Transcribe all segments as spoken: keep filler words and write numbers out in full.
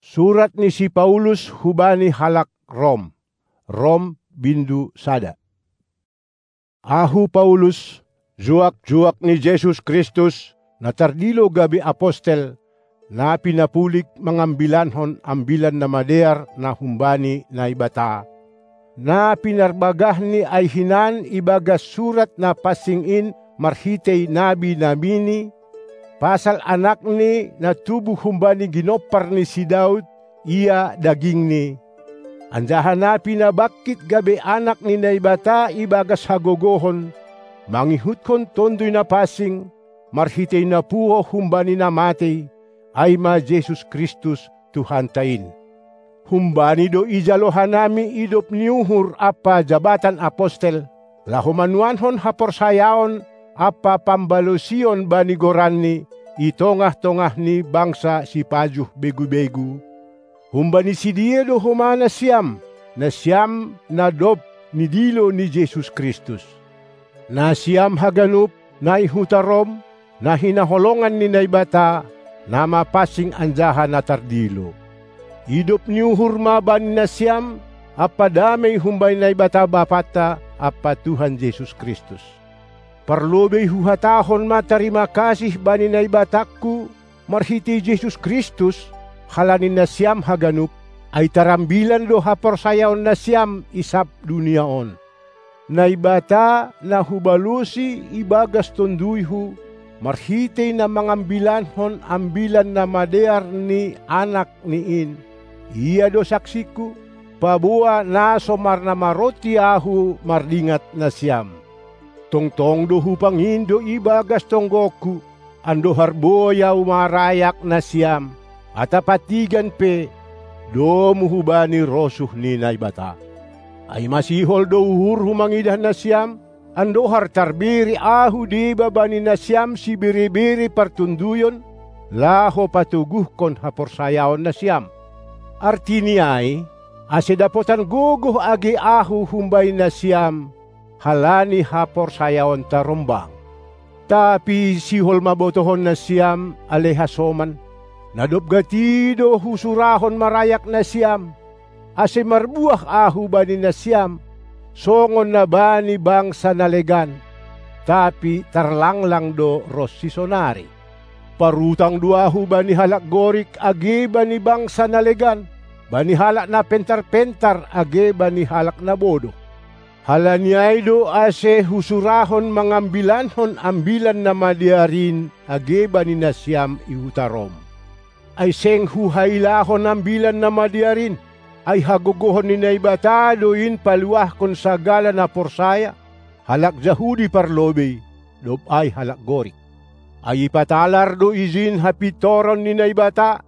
Surat ni si Paulus hubani halak Rom. Rom, bindu sada. Ahu Paulus, juak-juak ni Jesus Kristus, na tardilo gabe apostel, na pinapulik mangambilankon Ambilan Namadear na humbani Naibata, na pinarbagahni ai hinan ibagas surat na pansing in marhitei nabi-nabini, pasal Anakni na tubu humbani ginompar ni si Daud, ia dagingni, anjaha na pinabangkit gabe Anak ni Naibata ibagas hagogohon, mangihutkon Tonduy Napansing, marhitei na puho humbani na matei, ai ma Jesus Kristus, Tuhanta in. Humbani do ijalo hanami idop ni uhur ampa jabatan apostel, laho manuankon haporsayaon ampa pambalosion bani goranni i tongah-tongah ni bangsa sipajuh begu-begu. Humbani sidea do homa nasiam, nasiam na dob nidilo ni Jesus Kristus. Nasiam haganup, na i huta Rom, na hinaholongan ni Naibata, na mapansing anjaha na tardilo. Idop ni uhur ma bani nasiam ampa damei humbani Naibata Bapanta ampa Tuhan Jesus Kristus. Parlobei huhatahon ma tarima kasih bani Naibatangku marhitei Jesus Kristus, halani nasiam haganup, ai tarambilan do haporsayaon nasiam i sab dunia on. Naibata na hubalosi ibagas tonduyhu, marhitei na mangambilankon Ambilan Namadear ni Anakni in, Ia do saksingku, paboa na so marnamaronti ahu mardingat nasiam. Tongtong do hupangindo ibagas tonggongku, andohar boi ahu marayak nasiam, atap antigan pe, domu hubani rosuh ni Naibata. Ai masihol do uhurhu mangidah nasiam, andohar tarbere ahu deba bani nasiam sibere-bere partonduyon, laho patoguhkon haporsayaon nasiam. Artini ai, ase dapotan gogoh age ahu humbani nasiam, halani haporsayaonta rombang. Tapi sihol ma botohon nasiam, ale hasoman, na dob gati do husurahon marayak nasiam, ase marbuah ahu bani nasiam, songon na bani bangsa na legan, tapi tarlanglang do ronsi sonari. Parutang do ahu bani halak Gorik age bani bangsa na legan, bani halak na pentar-pentar age bani halak na bodoh. Halani ai do ase husurahon mangambilankon Ambilan Namadear in age bani nasiam i huta Rom. Ai seng huhailahon Ambilan Namadear in, ai hagogohon ni Naibata do in paluahkon sagala na porsaya, halak Jahudi parlobei, dob ai halak Gorik. Ai ipatalar do ijin hapintoron ni Naibata,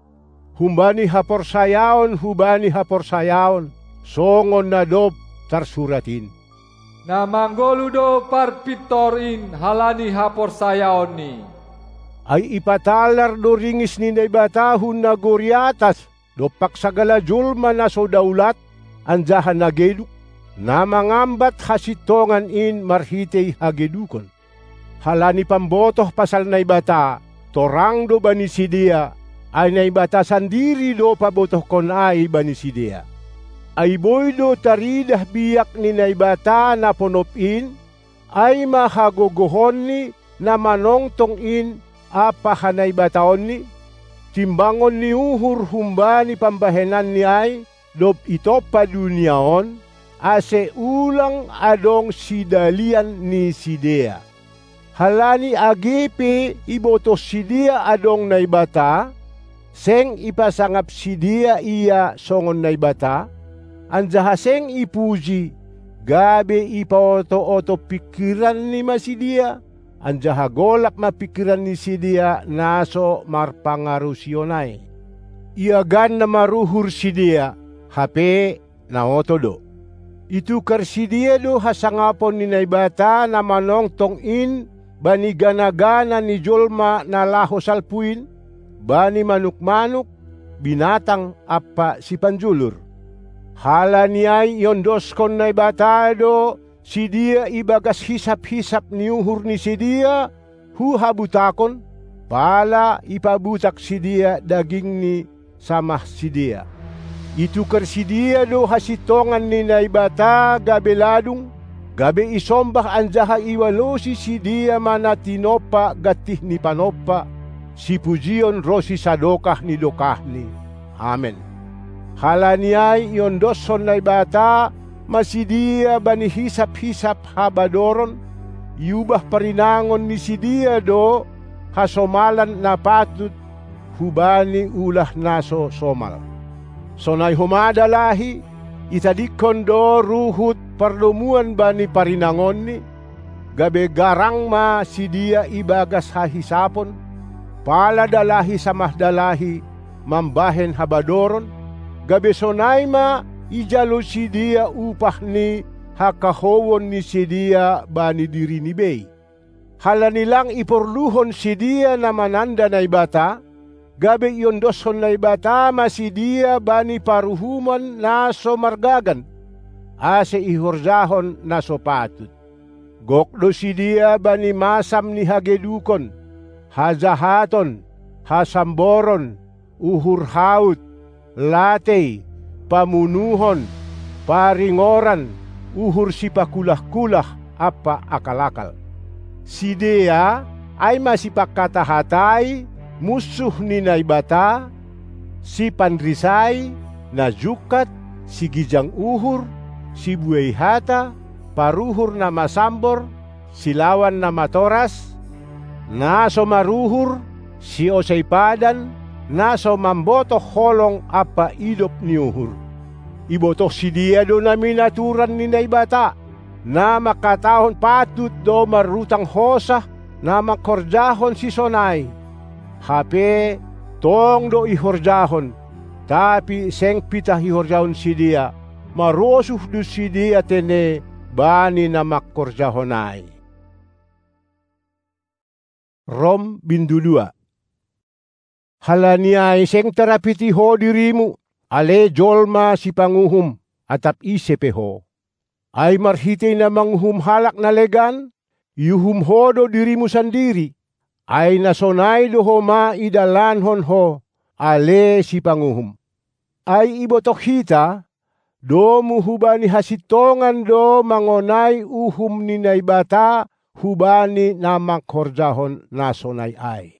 humbani haporsayaon hubani haporsayaon, songon na dob tarsurat in: Na manggoluh do parpintor in halani haporsayaonni. Ai ipatalar do ringis ni Naibata hun nagori atas dompak sagala jolma na so daulat, anjaha na geduk, na mangambat hasintongan in marhitei hagedukon. Halani pambotoh pasal Naibata, torang do bani sidea, ai Naibata sandiri do pabotohkon ai bani sidea. Ai boi do taridah biak ni Naibata na ponop in, ai ma hagogohonni na manongtong in ampa hanaibataonni, timbangon ni uhur humbani pambahenanni ai, dob itompa dunia on, ase ulang adong sidalian ni sidea. Halani age pe ibotoh sidea adong Naibata, seng ipasangap sidea Ia songon Naibata, anjaha seng ipuji, gabe ipaoto-oto pingkiranni ma sidea, anjaha golap ma pingkiran ni sidea na so marpangarusion ai. Iagan na maruhur sidea, hape na oto do. Itukar sidea do hasangapon ni Naibata na manongtong in bani gana-gana ni jolma na laho salpu in, bani manuk-manuk, binatang ampa sipanjulur. Halani ai iondoskon Naibata do sidea ibagas hisap-hisap ni uhur ni sidea hu habutakon, pala ipabutak sidea dagingni samah sidea. Ituker sidea do hasintongan ni Naibata gabe ladung, gabe isombah anjaha iwalosi sidea ma na tinompa gantih ni panompa, sipujion ronsi sadokah ni dokahni. Amen. Halani ai iondoshon Naibata ma sidea bani hisap-hisap habadoron, iubah parinangon ni sidea do hasomalan na patut hubani ulah na so somal. Sonai homa dalahi, itadingkon do ruhut pardomuan bani parinangonni, gabe garang ma sidea ibagas hahisapon, pala dalahi samah dalahi mambahen habadoron, gabe sonai ma ijalo sidea upah ni hakahouon ni sidea bani dirini bei. Halani lang iporluhon sidea na mananda Naibata, gabe iondoshon Naibata ma sidea bani paruhuman na so margagan, ase ihorjahon na so patut. Gok do sidea bani masam ni hagedukon, hajahaton, hasamboron, uhur haut, latei, pamunuhon, paringoran, uhur sipakulah-kulah ampa akal-akal. Sidea, ai ma sipangkata-hatai, munsuh ni Naibata, sipanrisai, na jungkat, sigijang uhur, sibuei hata, paruhur na masambor, silawan na matoras, na so maruhur, siosei padan, na so mambotoh holong ampa idop ni uhur. Ibotoh sidea do na minaturan ni Naibata, na mangkatahon patut do marutang hosah na mangkorjahon sisonai. Hape tong do ihorjahon, tapi seng pitah ihorjahon sidea, marosuh do sidea tene bani na mangkorjahon ai. Rom bindu dua. Halani ai seng tarapiti ho dirimu, ale jolma sipanguhum, atap ise pe ho. Ai marhitei na manguhum halak na legan, iuhum ho do dirimu sandiri, ai na sonai do homa idalankon ho, ale sipanguhum. Ai ibotoh hita, domu hubani hasintongan do mangonai uhum ni Naibata hubani na mangkorjahon na sonai ai.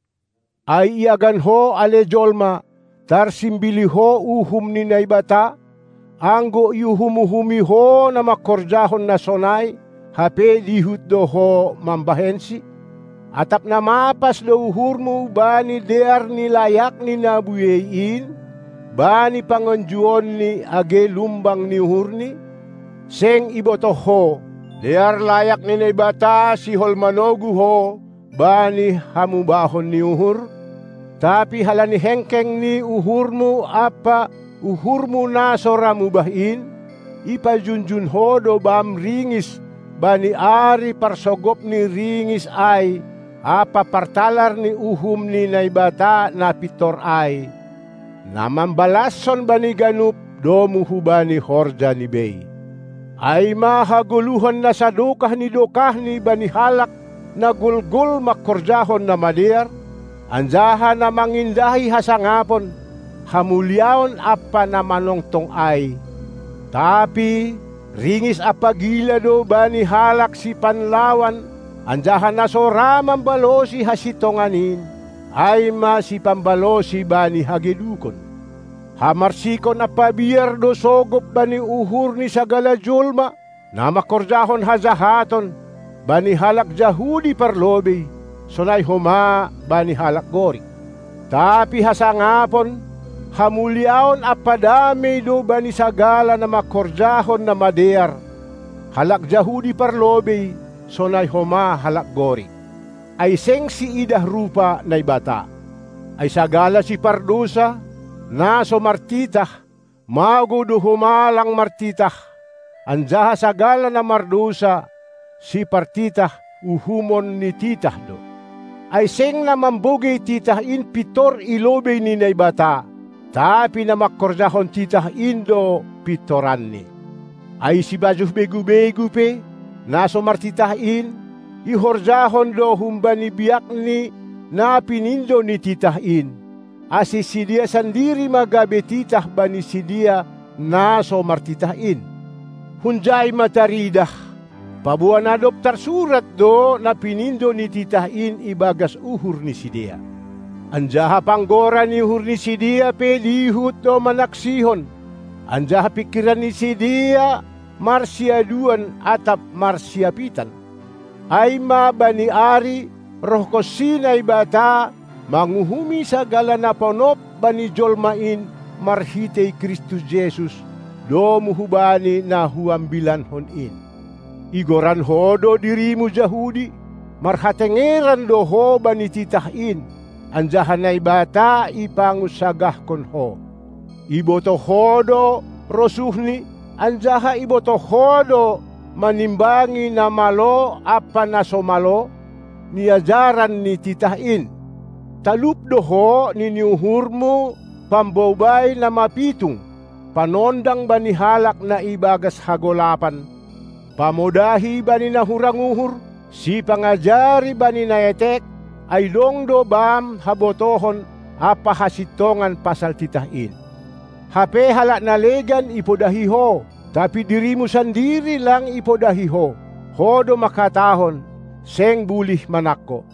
Ai iagan ho ale jolma, tarsimbili ho uhum ni Naibata, anggo iuhum-uhumi ho na mangkorjahon na sonai, hape dihut do ho mambahensi? Atap na mapas do uhurmu bani dear ni layakni na buei in, bani pangonjuonni age lumbang ni uhurni? Seng ibotoh ho, dear layak ni Naibata sihol manogu ho bani hamubahon ni uhur? Tapi halani hengkeng ni uhurmu ampa uhurmu na so ra mubah in, ipajunjun ho do bam ringis bani ari parsogop ni ringis ai ampa partalar ni uhum ni Naibata na pintor ai, na mambalashon bani ganup domu hubani horja ni bei. Ai ma hagoluhan na sadokah ni dokahni bani halak na golgol mangkorjahon na madear, anjaha na mangindahi hasangapon, hamuliaon ampa na manongtong ai. Tapi ringis ampa gila do bani halak sipanlawan, anjaha na so ra mambalosi hasintongan in, ai ma sipambalosi bani hagedukon. Hamarsikon ampa biar do sogop bani uhur ni sagala jolma, na mangkorjahon hajahaton, bani halak Jahudi parlobei, sonai homa bani halak Gorik. Tapi hasangapon, hamuliaon ampa damei do bani sagala na mangkorjahon na madear, halak Jahudi parlobei, sonai homa halak Gorik. Ai seng siidah rupa Naibata. Ai sagala sipardousa, na so martitah, mago do homa lang martitah, anjaha sagala na mardousa, sipartitah uhumon ni titah do. Ai seng na mambogei titah in pintor i lobei ni Naibata, tapi na mangkorjahon titah in do pintoranni. Ai sipajuh begu-begu pe, na so martitah in, ihorjahon do humbani biakni na pinindo ni titah in. ase sidea sandiri ma gabe titah bani sidea na so martitah in. Hunjai ma taridah, paboa na dob tarsurat do na pinindo ni titah in ibagas uhur ni sidea. Anjaha panggora ni uhur ni sidea pe dihut do manaksihon, anjaha pingkiran ni sidea marsiaduan atap marsiapitan. Ai ma bani ari rohkonsi Naibata manguhumi sagala na ponop bani jolma in marhitei Kristus Jesus, domu hubani na huambilankon in. Igoran ho do dirimu Jahudi, marhatengeran do ho bani titah in, anjaha Naibata ipangunsagahkon ho. Ibotoh ho do rosuhni, anjaha ibotoh ho do manimbangi na malo ampa na so malo ni ajaran ni titah in. Talup do ho nini uhurmu pambobai na mapitung, panondang bani halak na ibagas hagolapan, pamodahi bani na hurang uhur, sipangajari bani na etek, ai dong do bam habotohon ampa hasintongan pasal titah in. Hape halak na legan ipodahi ho, tapi dirimu sandiri lang ipodahi ho. Ho do mangkatahon, seng bulih manangko.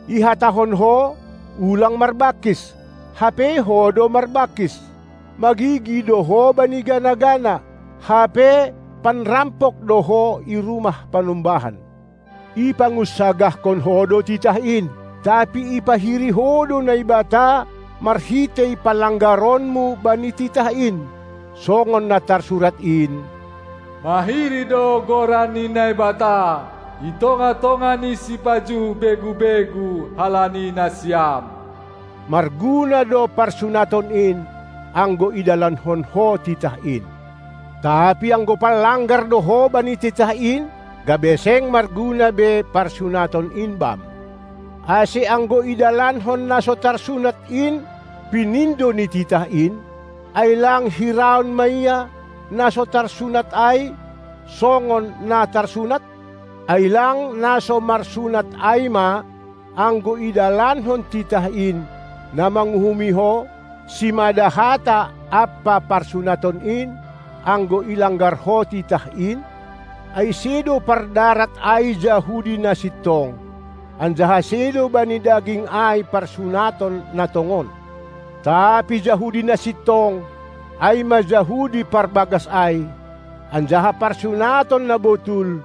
Ihatahon ho, ulang marbangkis, hape ho do marbangkis. Magigi do ho bani gana-gana, hape panrampok do ho i rumah panumbahan. Ipangunsagahkon ho do titah in, tapi ipahiri ho do Naibata marhitei palanggaronmu bani titah in, songon na tarsurat in: Mahiri do goran ni Naibata i tongah-tongah ni sipajuh begu-begu halani nasiam. Marguna do parsunaton in, anggo idalankon ho titah in. Tapi anggo panlanggar do ho bani titah in, gabe seng marguna be parsunaton in bam. Ase anggo idalankon na so tarsunat in pinindo ni titah in, ai lang hiraon ma ia na so tarsunat ai songon na tarsunat? Ai lang na so marsunat ai ma, anggo idalankon titah in, na manguhumi ho, simada hata ampa parsunaton in, anggo ilanggar ho titah in? Ai sedo pardarat ai Jahudi na sintong, anjaha sedo bani daging ai parsunaton na tongon. Tapi Jahudi na sintong, ai ma Jahudi parbagas ai, anjaha parsunaton na botul,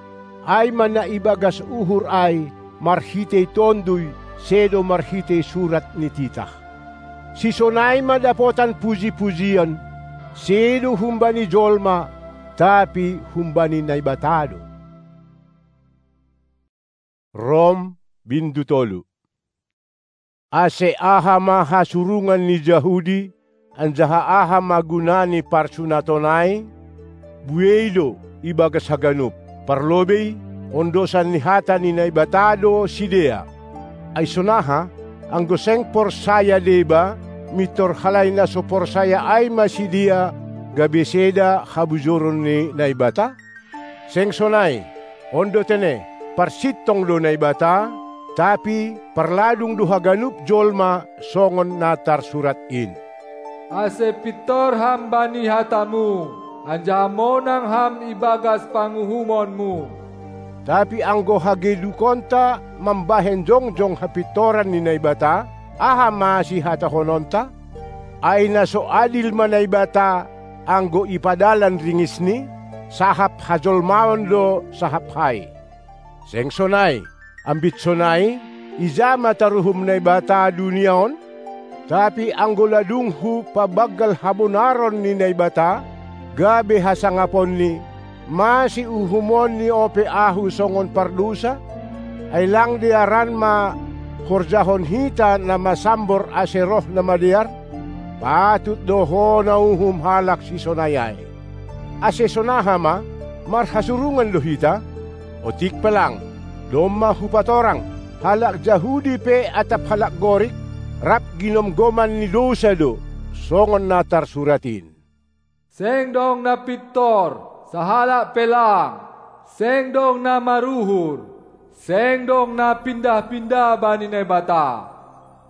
ai ma na ibagas uhur ai, marhitei Tonduy, sedo marhitei surat ni titah. Sisonai ma dapotan puji-pujian, sedo humbani jolma, tapi humbani Naibata do. Rom, bindu tolu. Ase aha ma hasurungan ni Jahudi, anjaha aha ma guna ni parsunaton ai? Buei do ibagas haganup, parlobei, ondosan ni hata ni Naibata do sidea. Ai sonaha, anggo seng porsaya deba, mintor halani na so porsaya ai ma sidea gabe seda habujuron ni Naibata? Seng sonai, on do tene, parsintong do Naibata, tapi parladung do haganup jolma songon na tarsurat in. Ase pintor ham bani hatamu, anjaha monang ham ibagas panguhumonmu. Tapi anggo hagedukonta mambahen jongjong hapintoran ni Naibata, aha ma sihatahononta? Ai na so adil ma Naibata, anggo ipadalan ringisni, sahap hajolmaon do sahap hai. Seng sonai, ambit sonai, ija ma taruhum Naibata dunia on? Tapi anggo ladunghu pabanggal habonaron ni Naibata, gabe hasangaponni, mase uhumonni ope ahu songon pardousa? Ai lang dearan ma horjahon hita na masambor ase roh na madear? Patut do ho na uhum halak sisonai ai. Ase sonaha ma, marhasurungan do hita? Otik pe lang, domma hupatorang, halak Jahudi pe atap halak Gorik, rap ginomgoman ni dousa do, songon na tarsurat in. Seng dong na pintor, sahalak pe lang, seng dong na maruhur, seng dong na pindah-pindah bani Naibata.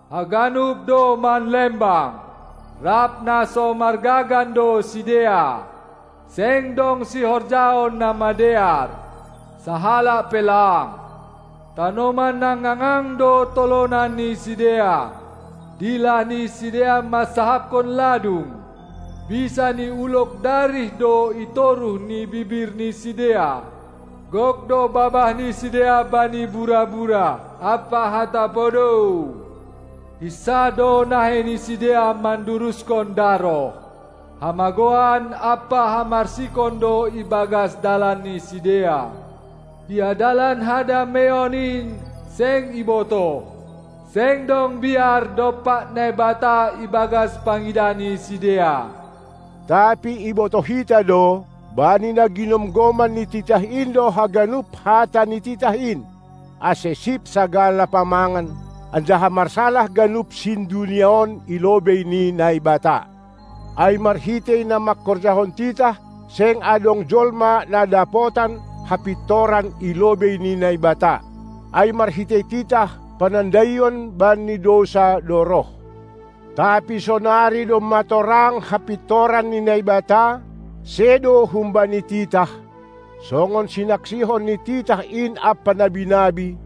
Haganup do manlembang, rap na so margagan do sidea. Seng dong sihorjaon na madear, sahalak pe lang. Tanoman na ngangang do tolonan ni sidea. Dilah ni sidea mansahapkon ladung. Bisa ni ulok darih do i toruh ni bibir ni sidea. Gok do babah ni sidea bani bura-bura ampa hata podou. Hinsa do nahei ni sidea manduruskon daroh. Hamagoan ampa hamarsikon do ibagas dalan ni sidea. Ia dalan hadameion in seng ibotoh. Seng dong biar dompak Naibata ibagas pangidah ni sidea. Tapi ibotoh hita do, bani na ginomgoman ni titah in do haganup hata ni titah in, ase sip sagala pamangan, anjaha marsalah ganup sindunia on i lobei ni Naibata. Ai marhitei na mangkorjahon titah, seng adong jolma na dapotan hapintoran i lobei ni Naibata. Ai marhitei titah, panandaion bani dousa do roh. Tapi sonari domma torang hapintoran ni Naibata, sedo humbani titah, songon sinaksihon ni titah in ampa nabi-nabi,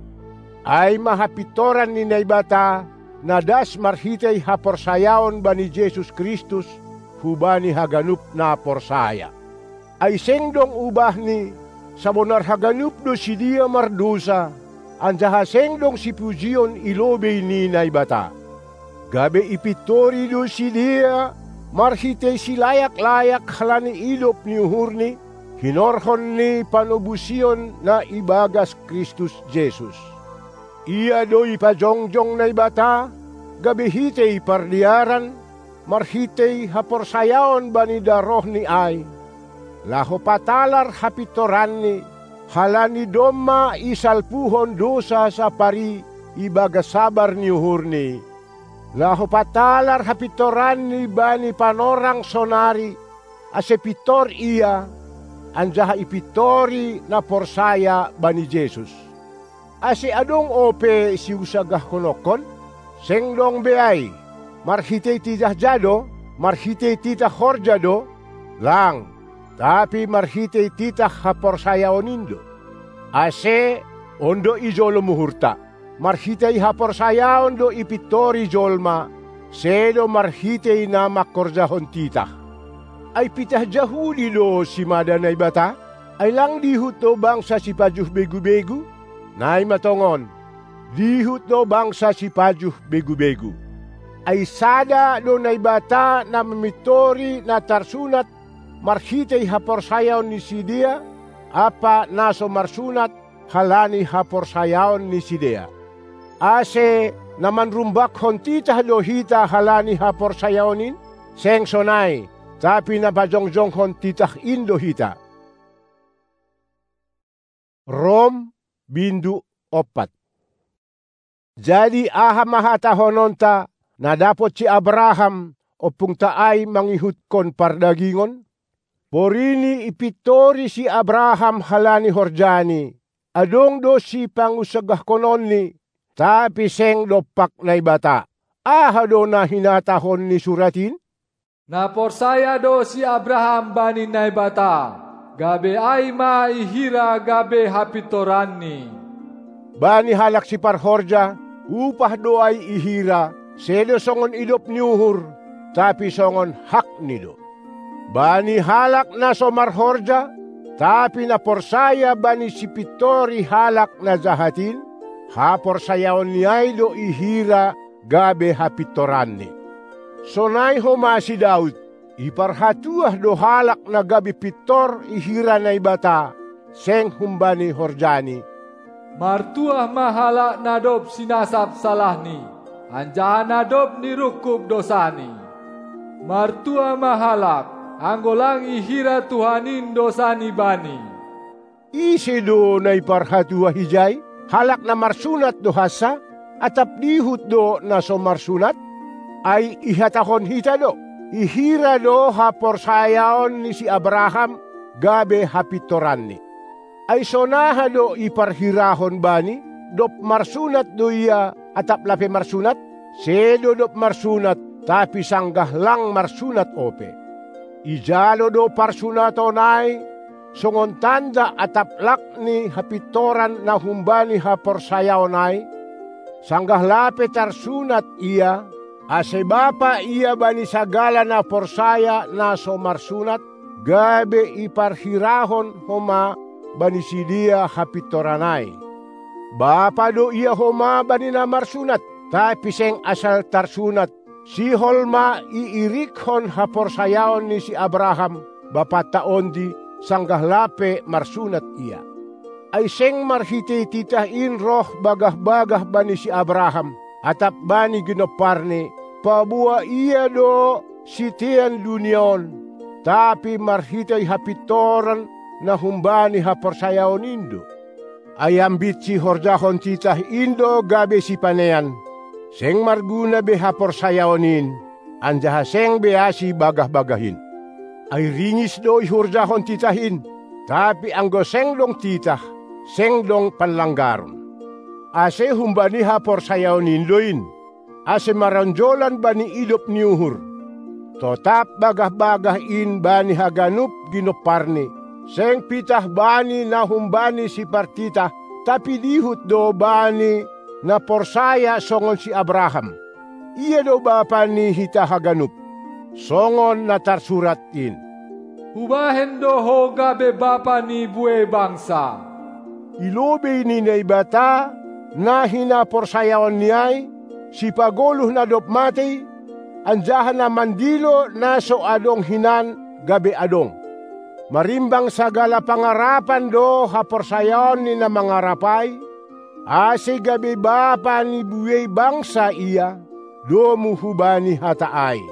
ai ma hapintoran ni Naibata, na das marhitei haporsayaon bani Jesus Kristus hubani haganup na porsaya. Ai seng dong ubahni, sabonar haganup do sidea mardousa, anjaha seng dong sipujion i lobei ni Naibata. Gabe ipintori do sidea marhitei silayak-layak halani idop ni uhurni, hinorhon ni panobusion na ibagas Kristus Jesus. Ia do ipajongjong Naibata, gabe hitei pardearan, marhitei haporsayaon bani darohni ai, laho patalar hapintoranni, halani domma isalpuhon dousa sapari ibagas sabar ni uhurni. Laho patalar hapintoranni bani panorang sonari, ase pintor ia, anjaha ipintori na porsaya bani Jesus. Ase adong ope siusagahkononkon? Seng dong be ai. Marhitei titah ja do? Marhitei titah horja do? Lang, tapi marhitei titah haporsayaon in do. Ase, on do ijolom uhurta. Marhitei haporsayaon do ipintori jolma, sedo marhitei na mangkorjahon titah. Ai pitah Jahudi do simada Naibata? Ai lang dihut do bangsa sipajuh begu-begu? Naima tongon, dihut do bangsa sipajuh begu-begu. Ai sada do Naibata na mamintori na tarsunat marhitei haporsayaon ni sidea, ampa na so marsunat halani haporsayaon ni sidea. Ase, na manrumbakhon titah do hita halani haporsayaon in? Seng sonai, tapi na pajongjonghon titah in do hita. Rom, bindu ompat. Jadi aha ma hatahononta, na dapot si Abraham, ompungta ai mangihutkon pardagingon? Porini ipintori si Abraham halani horjani, adong do sipangunsagahkononni, tapi seng dompak Naibata. Aha do na hinatahon ni surat in? Na porsaya do si Abraham bani Naibata, gabe ai ma ihira gabe hapintoranni. Bani halak siparhorja, upah do ai ihira, sedo songon idop ni uhur, tapi songon hakni do. Bani halak na so marhorja, tapi na porsaya bani sipintori halak na jahat in, haporsayaonni ai do ihira gabe hapintoranni. Sonai homa si Daud, iparhatuah do halak na gabe pintor ihira Naibata, seng humbani horjani. Martuah ma halak na dob sinasap salahni, anjaha na dob nirungkub dosani. Martuah ma halak, anggo lang ihira Tuhan in dosani bani. Ise do na iparhatuah ijai? Halak na marsunat do hansa? Atap dihut do na so marsunat? Ai ihatahon hita do, ihira do haporsayaon ni si Abraham gabe hapintoranni. Ai sonaha do iparhirahon bani, dob marsunat do ia atap lape marsunat? sedo dob marsunat, tapi sanggah lang marsunat ope. Ijalo do parsunaton ai songon tanda atap lak ni hapintoran na humbani haporsayaon ai, sanggah lape tarsunat ia, ase bapa ia bani sagala na porsaya na so marsunat, gabe iparhirahon homa bani sidea hapintoran ai. Bapa do ia homa bani na marsunat, tapi seng asal tarsunat, sihol ma iirikkon haporsayaon ni si Abraham, bapanta ondi, sanggah lape marsunat ia. Ai seng marhitei titah in roh bagah-bagah bani si Abraham, atap bani ginomparni, paboa ia do sitean dunia on, tapi marhitei hapintoran na humbani haporsayaon in do. Ai ambit sihorjahon titah in do gabe sipanean, seng marguna be haporsayaon in, anjaha seng be asi bagah-bagah in. Ai ringis do ihorjahon titah in, tapi anggo seng dong titah, seng dong panlanggaron. Ase humbani haporsayaon in do in, ase maronjolan bani idop ni uhur. Totap bagah-bagah in bani haganup ginomparni, seng pitah bani na humbani sipartitah, tapi dihut do bani na porsaya songon si Abraham. Ia do bapa ni hita haganup, songon na tarsurat in: Hubahen do ho gabe bapa ni buei bangsa. I lobei ni Naibata, na hinaporsayaonni ai, sipagoluh na dob matei, anjaha na mandilo na so adong hinan gabe adong. Marimbang sagala pangarapan do haporsayaon ni na mangarap ai, ase gabe bapa ni buei bangsa ia, domu hubani hata ai: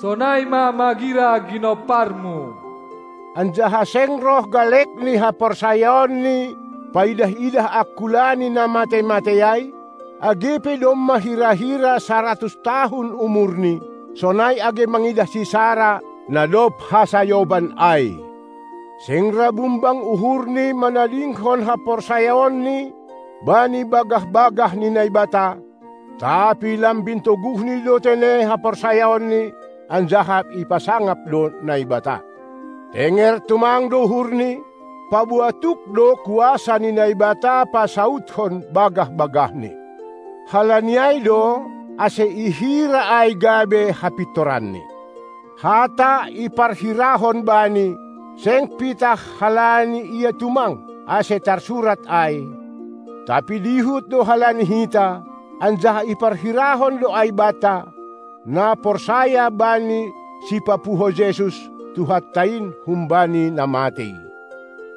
Sonai ma magira ginomparmu. Anjaha seng roh galek ni haporsayaon ni paidah-idah angkula ni na matei-matei ai, age pe domma hira-hira saratus tahun umurni, sonai age mangidah si Sara na dob hasayoban ai. Seng ra bumbang uhurni manadingkon haporsayaonni bani bagah-bagah ni Naibata, tapi lambin toguhni do tene haporsayaonni, anjaha ipasangap do Naibata. Tenger tumang do uhurni, paboa tuk do kuasa ni Naibata pasauthon bagah-bagahni. Halani ai do, ase ihira ai gabe hapintoranni. Hata iparhirahon bani, seng pitah halani ia tumang, ase tarsurat ai, tapi dihut do halani hita, anjaha iparhirahon do ai banta, na porsaya bani Sipapuho Jesus, Tuhanta in humbani na matei.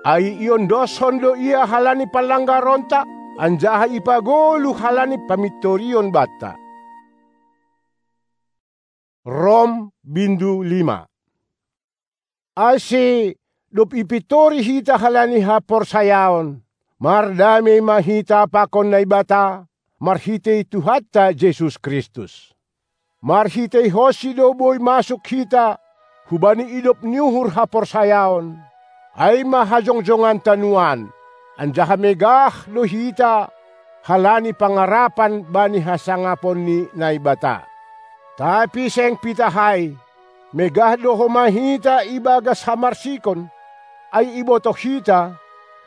Ai iondoshon do ia halani panlanggaronta, anjaha ipagoluh halani pamintorion banta. Rom bindu lima. Ase dob ipintori hita halani haporsayaon, mardamei ma hita pakon Naibata marhitei Tuhanta Jesus Kristus. Marhiteihonsi do boi masuk hita hubani idop ni uhur haporsayaon, ai ma hajongjonganta nuan, anjaha megah do hita halani pangarapan bani hasangapon ni Naibata. Tapi seng pitah ai, megah do homa hita ibagas hamarsikon, ai ibotoh hita,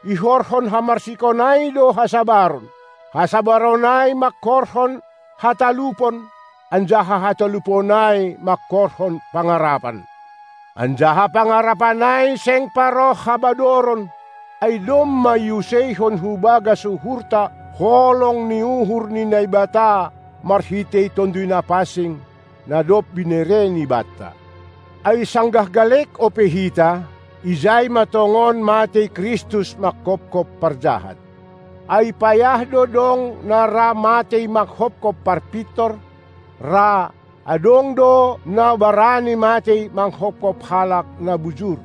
ihorhon hamarsikon ai do hasabaron, hasabaron ai mangkorhon hatalupon, anjaha hatalupon ai mangkorhon pangarapan. Anjaha pangarapan ai seng paroh habadoron, ai domma iuseihon hu bagas uhurta holong ni uhur ni Naibata marhitei Tonduy Na Pansing, na dob binereni banta. Ai sanggah galek ope hita, ijai ma tongon matei Kristus manghophop parjahat. Ai payah do dong na ra matei manghophop parpintor, ra adong do na barani matei manghophop halak na bujur.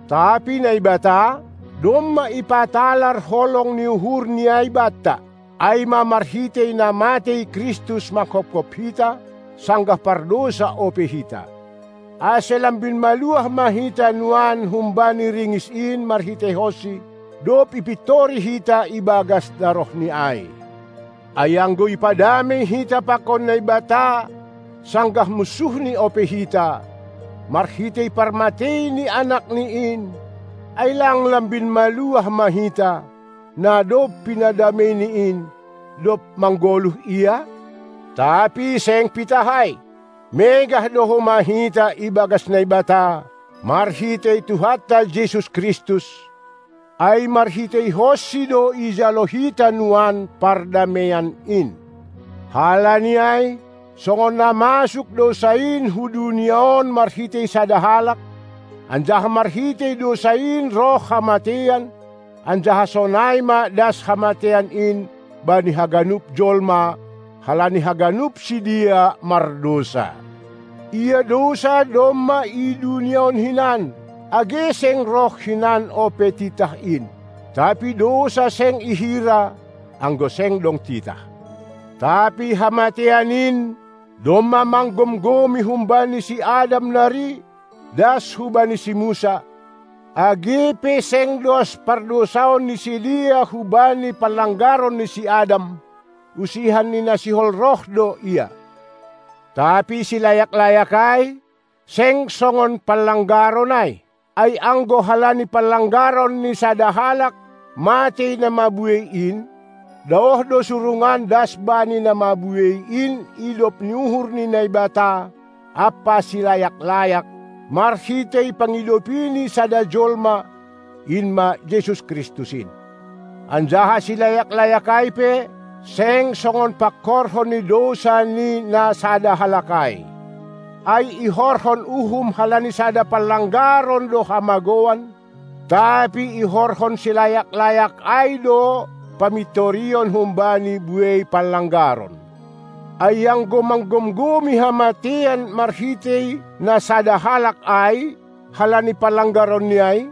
Tapi Naibata, domma ipatalar holong ni uhurni ai banta, ai ma marhitei na matei Kristus manghophop hita, sanggah pardousa ope hita. Ase lambin maluah ma hita nuan humbani ringis in marhiteihonsi, dob ipintori hita ibagas darohni ai. Ai anggo ipadamei hita pakon Naibata, sanggah munsuhni ope hita, marhitei parmatei ni AnakNi in, ai lang lambin maluah ma hita, na dob pinadameini in, dob manggoluh Ia? Tapi seng pitah ai, megah do homa hita ibagas Naibata, marhitei Tuhanta Jesus Kristus. Ai marhiteihonSi do ijalo hita nuan pardameian in. Halani ai, songon na masuk dousa in hu dunia on marhitei sada halak, anjaha marhitei dousa in roh hamateian, anjaha sonai ma das hamateian in bani haganup jolma, halani haganup sidea mardousa. Ia dousa domma i dunia on hinan, age seng roh hinan ope titah in. Tapi dousa seng ihira, anggo seng dong titah. Tapi hamateian in domma manggomgomi humbani si Adam nari, das hubani si Musa, age pe seng dos pardousaon ni sidea hubani panlanggaron ni si Adam, usihan ni na sihol roh do ia. Tapi silayak-layak ai, seng songon panlanggaron ai. Ai anggo halani panlanggaron ni sada halak matei na mabuei in, daoh do surungan das bani na mabuei in idop ni uhur ni Naibata ampa silayak-layak, marhitei pangidopi ni sada jolma, in ma Jesus Kristus in. Anjaha silayak-layak ai pe, seng songon pangkorhon ni dousa ni na sada halak ai. Ai ihorhon uhum halani sada panlanggaron do hamagouan, tapi ihorhon silayak-layak ai do pamintorion humbani buei panlanggaron. Ai anggo manggomgomi hamateian marhitei na sada halak ai, halani panlanggaronni ai,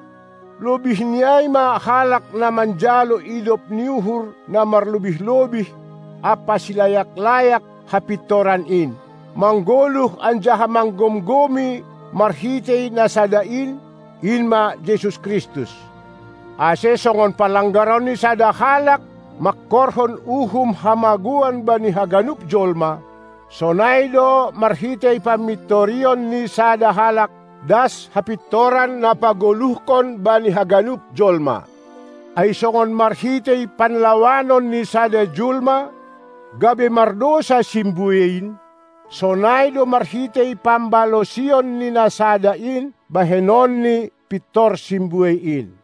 lobihni ai ma halak na manjalo idop ni uhur na marlobih-lobih ampa silayak-layak hapintoran in, manggoluh anjaha manggomgomi marhitei na sada in, in ma Jesus Kristus. Ase songon panlanggaron ni sada halak mangkorhon uhum hamagouan bani haganup jolma, sonai do marhitei pamintorion ni sada halak das hapintoran na pagoluhkon bani haganup jolma. Ai songon marhitei panlawanon ni sada jolma, gabe mardousa simbuei in, sonai do marhitei pambalosion ni na sada in bahenon ni pintor simbuei in.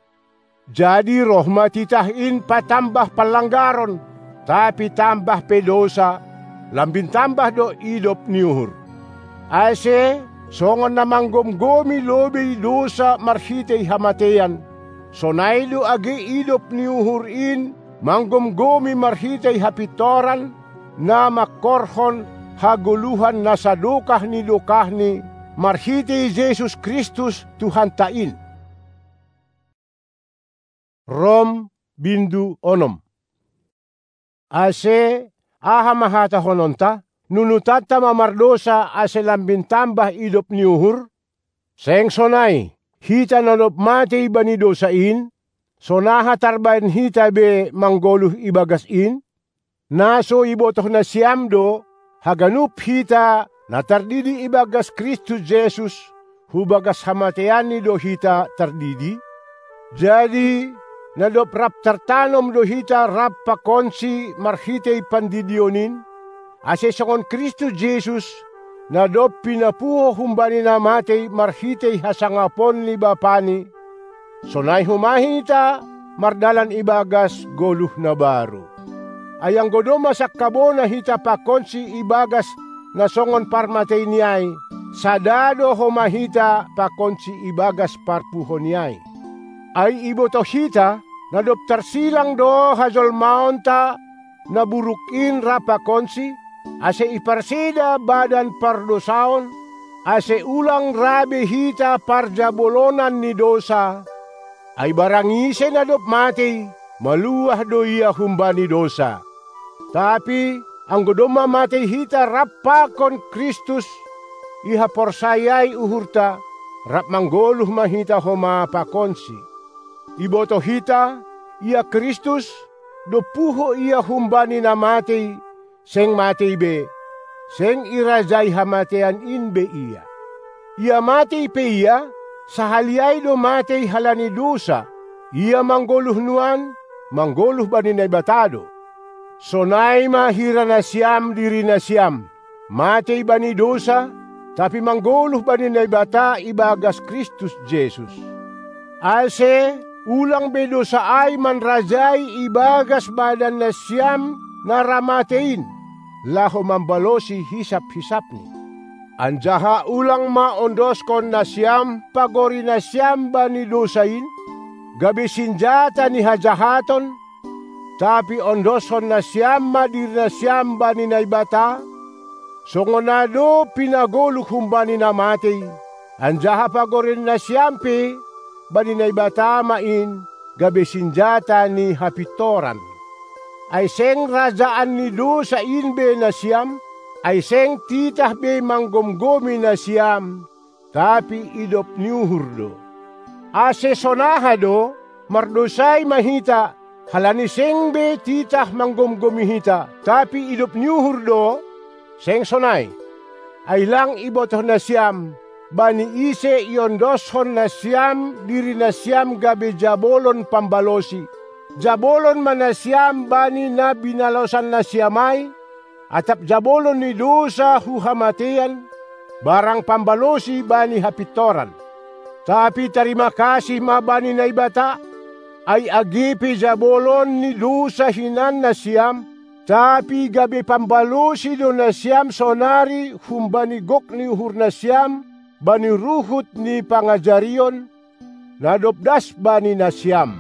Jadi roh ma titah in patambah panlanggaron, tapi tambah pe dousa, lambin tambah do idop ni uhur. Ase, songon na manggomgomi lobei dousa marhitei hamateian, sonai do age idop ni uhur in manggomgomi marhitei hapintoran, na mangkorhon hagoluhan na sadokah ni dokahni, marhitei Jesus Kristus Tuhanta in. Rom, bindu onom. Ase, aha ma hatahononta? Nunutanta ma mardousa ase lambin tambah idop ni uhur? Seng sonai, hita na dob matei bani dousa in, sonaha tarbahen hita be manggoluh ibagas in? Na so ibotoh nasiam do, haganup hita na tardidi ibagas Kristus Jesus, hubagas hamateianNi do hita tardidi? Jadi, na dob rap tartanom do hita rap pakonSi marhitei pandidion in, ase songon Kristus Jesus, na dob pinapuho humbani na matei marhitei hasangapon ni BapaNi, sonai homa hita mardalan ibagas goluh na baru. Ai anggo domma sangkabona hita pakonSi ibagas na songon parmateiNi ai, sada do homa hita pakonSi ibagas parpuhoNi ai. Ai ibotoh hita, na dob tarsilang do hajolmaonta na buruk in rap pakonSi, ase iparseda badan pardousaon, ase ulang ra be hita parjabolonan ni dousa. Ai barang ise na dob matei, maluah do ia humbani dousa. Tapi anggo domma matei hita rap pakon Kristus, ihaporsayaai uhurta, rap manggoluh ma hita homa pakonSi. Ibotoh hita, ia Kristus, dob puho ia humbani na matei, seng matei be, seng irajai hamateian in be ia. Ia matei pe ia, sahali ai do matei halani dousa, ia manggoluh nuan, manggoluh bani Naibata do. Sonai ma hira nasiam diri nasiam, matei bani dousa, tapi manggoluh bani Naibata ibagas Kristus Jesus. Ase ulang be dousa ai manrajai ibagas badan nasiam na ra matei in, laho mambalosi hisap-hisapni. Anjaha ulang ma ondoskon nasiam pagori nasiam bani dousa in, gabe sinjata ni hajahaton, tapi ondoskon nasiam ma diri nasiam bani Naibata, songon na dob pinagoluh humbani na matei, anjaha pagori nasiam pe bani Naibata ma in, gabe sinjata ni hapintoran. Ai seng rajaan ni dousa in be nasiam, ai seng titah be manggomgomi nasiam, tapi idop ni uhur do. Ase sonaha do, mardousai ma hita, halani seng be titah manggomgomi hita, tapi idop ni uhur do? Seng sonai! Ai lang ibotoh nasiam, bani ise iondoskon nasiam diri nasiam gabe jabolon pambalosi, jabolon ma nasiam bani na binalosan nasiam ai, atap jabolon ni dousa hu hamateian, barang pambalosi bani hapintoran. Tapi tarima kasih ma bani Naibata, ai age pe jabolon ni dousa hinan nasiam, tapi gabe pambalosi do nasiam sonari humbani gok ni uhur nasiam bani ruhut ni pangajarion, na dob das bani nasiam.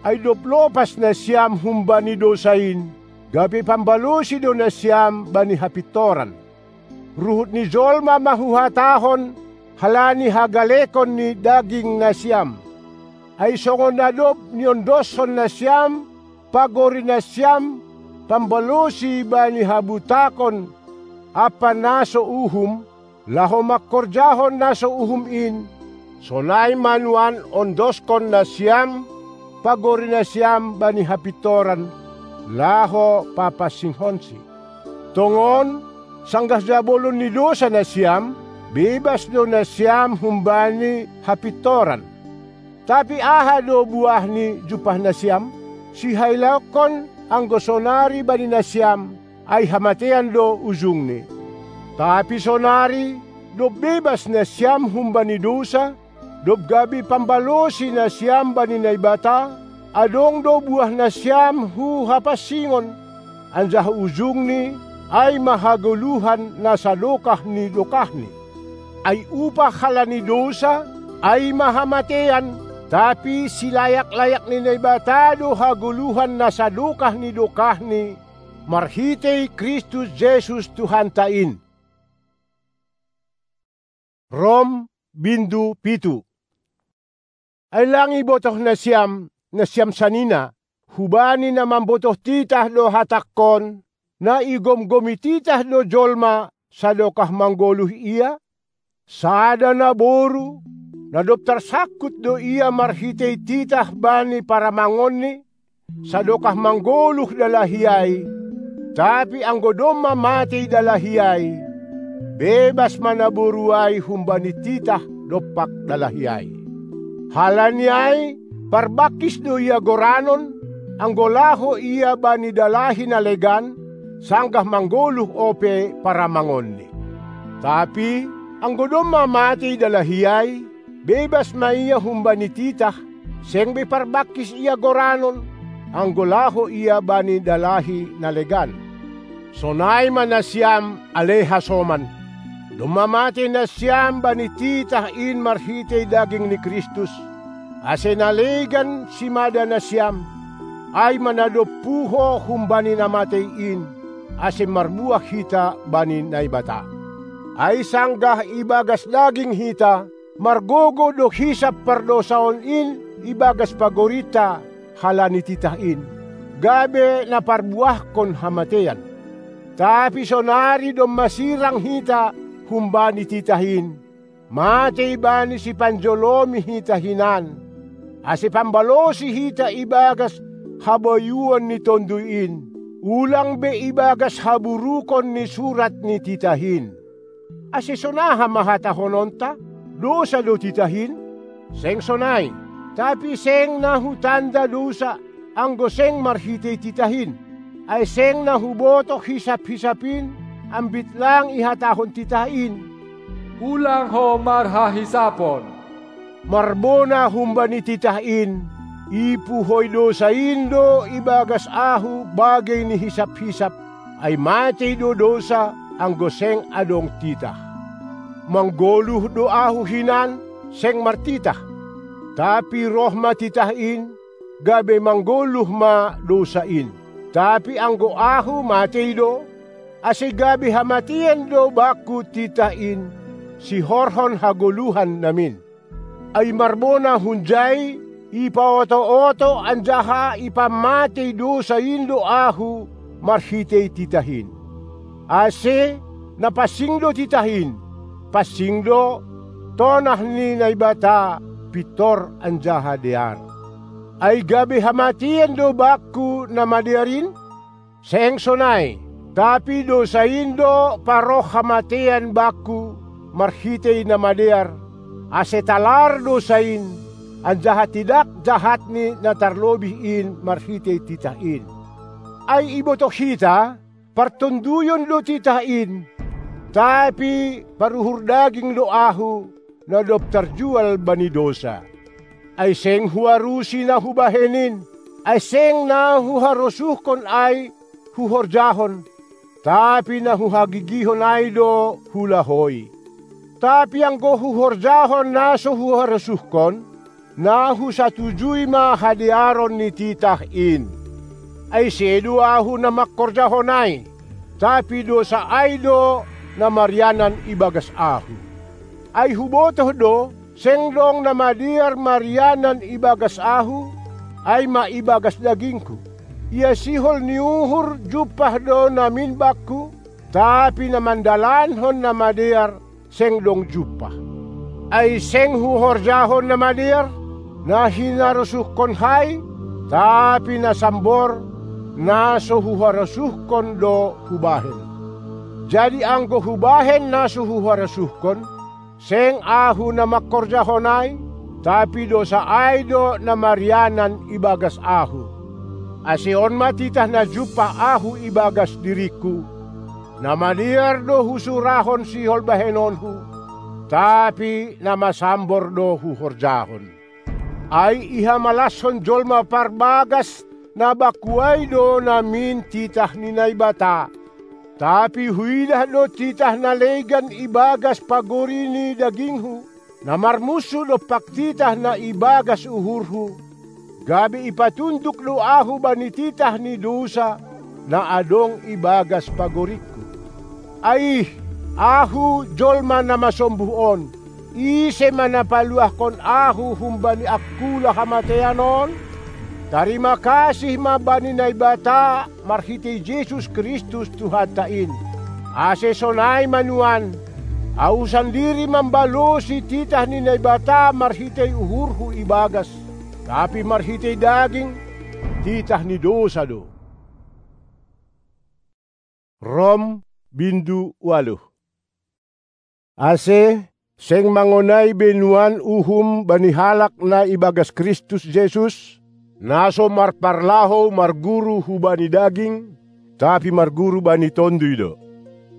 Ai dob lopas nasiam humbani dousa in, gabe pambalosi do nasiam bani hapintoran. Ruhut ni jolma ma huhatahon, halani hagalekon ni daging nasiam. Ai songon na dob niondoskon nasiam pagori nasiam pambalosi bani habutakon ampa na so uhum, laho mangkorjahon na so uhum in, sonai ma nuan ondoskon nasiam pagori nasiam bani hapintoran, laho papansingkonsi. Tongon, sanggah jabolon ni dousa nasiam, bebas do nasiam humbani hapintoran. Tapi aha do buah ni jumpah nasiam? Sihailaonkon anggo sonari bani nasiam, ai hamateian do ujungni. Tapi sonari, dob bebas nasiam humbani dousa, dob gabe pambalosi nasiam bani Naibata, adong do buah nasiam hu hapansingon, anjaha ujungni ai ma hagoluhan na sadokah ni dokahni. Ai upah halani dousa ai ma hamateian, tapi silayak-layak ni Naibata do hagoluhan na sadokah ni dokahni, marhitei Kristus Jesus Tuhanta in. Rom, bindu pitu. Ai lang ibotoh nasiam, nasiam sanina, hubani na mambotoh titah do hatangkon, na igomgomi titah do jolma sadokah manggoluh ia? Sada naboru, na dob tarsangkut do ia marhitei titah bani paramangonni, sadokah manggoluh dalahi ai, tapi anggo domma matei dalahi ai, bebas ma naboru ai humbani titah dompak dalahi ai. Halani ai, parbangkis do ia goranon, anggo laho ia bani dalahi na legan, sanggah manggoluh ope paramangonni. Tapi anggo domma matei dalahi ai, bebas ma ia humbani titah, seng be parbangkis ia goranon, anggo laho ia bani dalahi na legan. Sonai ma nasiam, ale hasoman. Domma matei nasiam bani titah in marhitei daging ni Kristus, ase na legan simada nasiam, ai ma na dob puho humbani na matei in, ase marbuah hita bani Naibata. Ai sanggah ibagas daging hita, margogo do hisap pardousaon in ibagas pagorinta halani titah in, gabe na parbuahkon hamateian. Tapi sonari domma sirang hita humbani titah in, matei bani sipanjolomi hita hinan, ase pambalosi hita ibagas habayuon ni Tonduy in, ulang be ibagas haburukon ni surat ni titah in. Ase sonaha ma hatahononta? Dousa do titah in? Seng sonai, tapi seng na hutanda dousa, anggo seng marhitei titah in. Ai seng na hubotoh hisap-hisap in, ambit lang ihatahon titah in: Ulang ho marhahisapon. Marbona humbani titah in, ipuhoi dousa in do ibagas ahu bagei ni hisap-hisap, ai matei do dousa, anggo seng adong titah. Manggoluh do ahu hinan, seng martitah. Tapi roh ma titah in, gabe manggoluh ma dousa in. Tapi anggo ahu matei do, ase gabe hamateian do bakku titah in, sihorhon hagoluhan namin. Ai marbona hunjai, ipaoto-oto anjaha ipammatei dousa in do ahu marhitei titah in. Ase, na pansing do titah in, pansing do, tonah ni Naibata pintor anjaha dear. Ai gabe hamateian do bakku na madear in? Seng sonai, tapi dousa in do paroh hamateian bakku marhitei na madear, ase talar dousa in, anjaha tidak jahat ni na tarlobih in marhitei titah in. Ai ibotoh hita, partonduyon do titah in, tapi paruhur daging do ahu, na dob tarjual bani dousa. Ai seng huarusi na hubahen in, ai seng na huharosuhkon ai huhorjahon, tapi na huhagigihon ai do hulahoi. Tapi anggo huhorjahon na so huharosuhkon, na husatujui ma hadearon ni titah in. Ai sedo ahu na mangkorjahon ai, tapi dousa ai do na marianan ibagas ahu. Ai hubotoh do, seng dong na madear marianan ibagas ahu, ai ma ibagas dagingku. Ia sihol ni uhur jumpah do namin bakku, tapi na mandalankon na madear seng dong jumpah. Ai seng huhorjahon na madear, na hinarosuhkon hai, tapi na sambor, na so huharosuhkon do hubahen. Jadi anggo hubahen na so huharosuhkon, seng ahu na mangkorjahon ai, tapi dousa ai do na marianan ibagas ahu. Ase on ma titah na jumpah ahu ibagas diringku: Na madear do husurahon sihol bahenonhu, tapi na masambor do huhorjahon. Ai ihamalashon jolma parbagas na bakku ai do namin titah ni Naibata. Tapi huidah do titah na legan ibagas pagori ni daginghu, na marmunsu dompak titah na ibagas uhurhu, gabe ipatunduk do ahu bani titah ni dousa na adong ibagas pagoringku. Aih, ahu jolma na masombuh on, ise ma na paluahkon ahu humbani angkula hamateian on? Tarima kasih ma bani Naibata marhitei Jesus Kristus Tuhanta in. Ase sonai ma nuan, ahu sandiri mambalosi titah ni Naibata marhitei uhurhu ibagas, tapi marhitei daging, titah ni dousa do. Rom, bindu ualuh. Ase, seng mangonai be nuan uhum bani halak na ibagas Kristus Jesus, na so marparlahou marguru hubani daging, tapi marguru bani Tonduy do.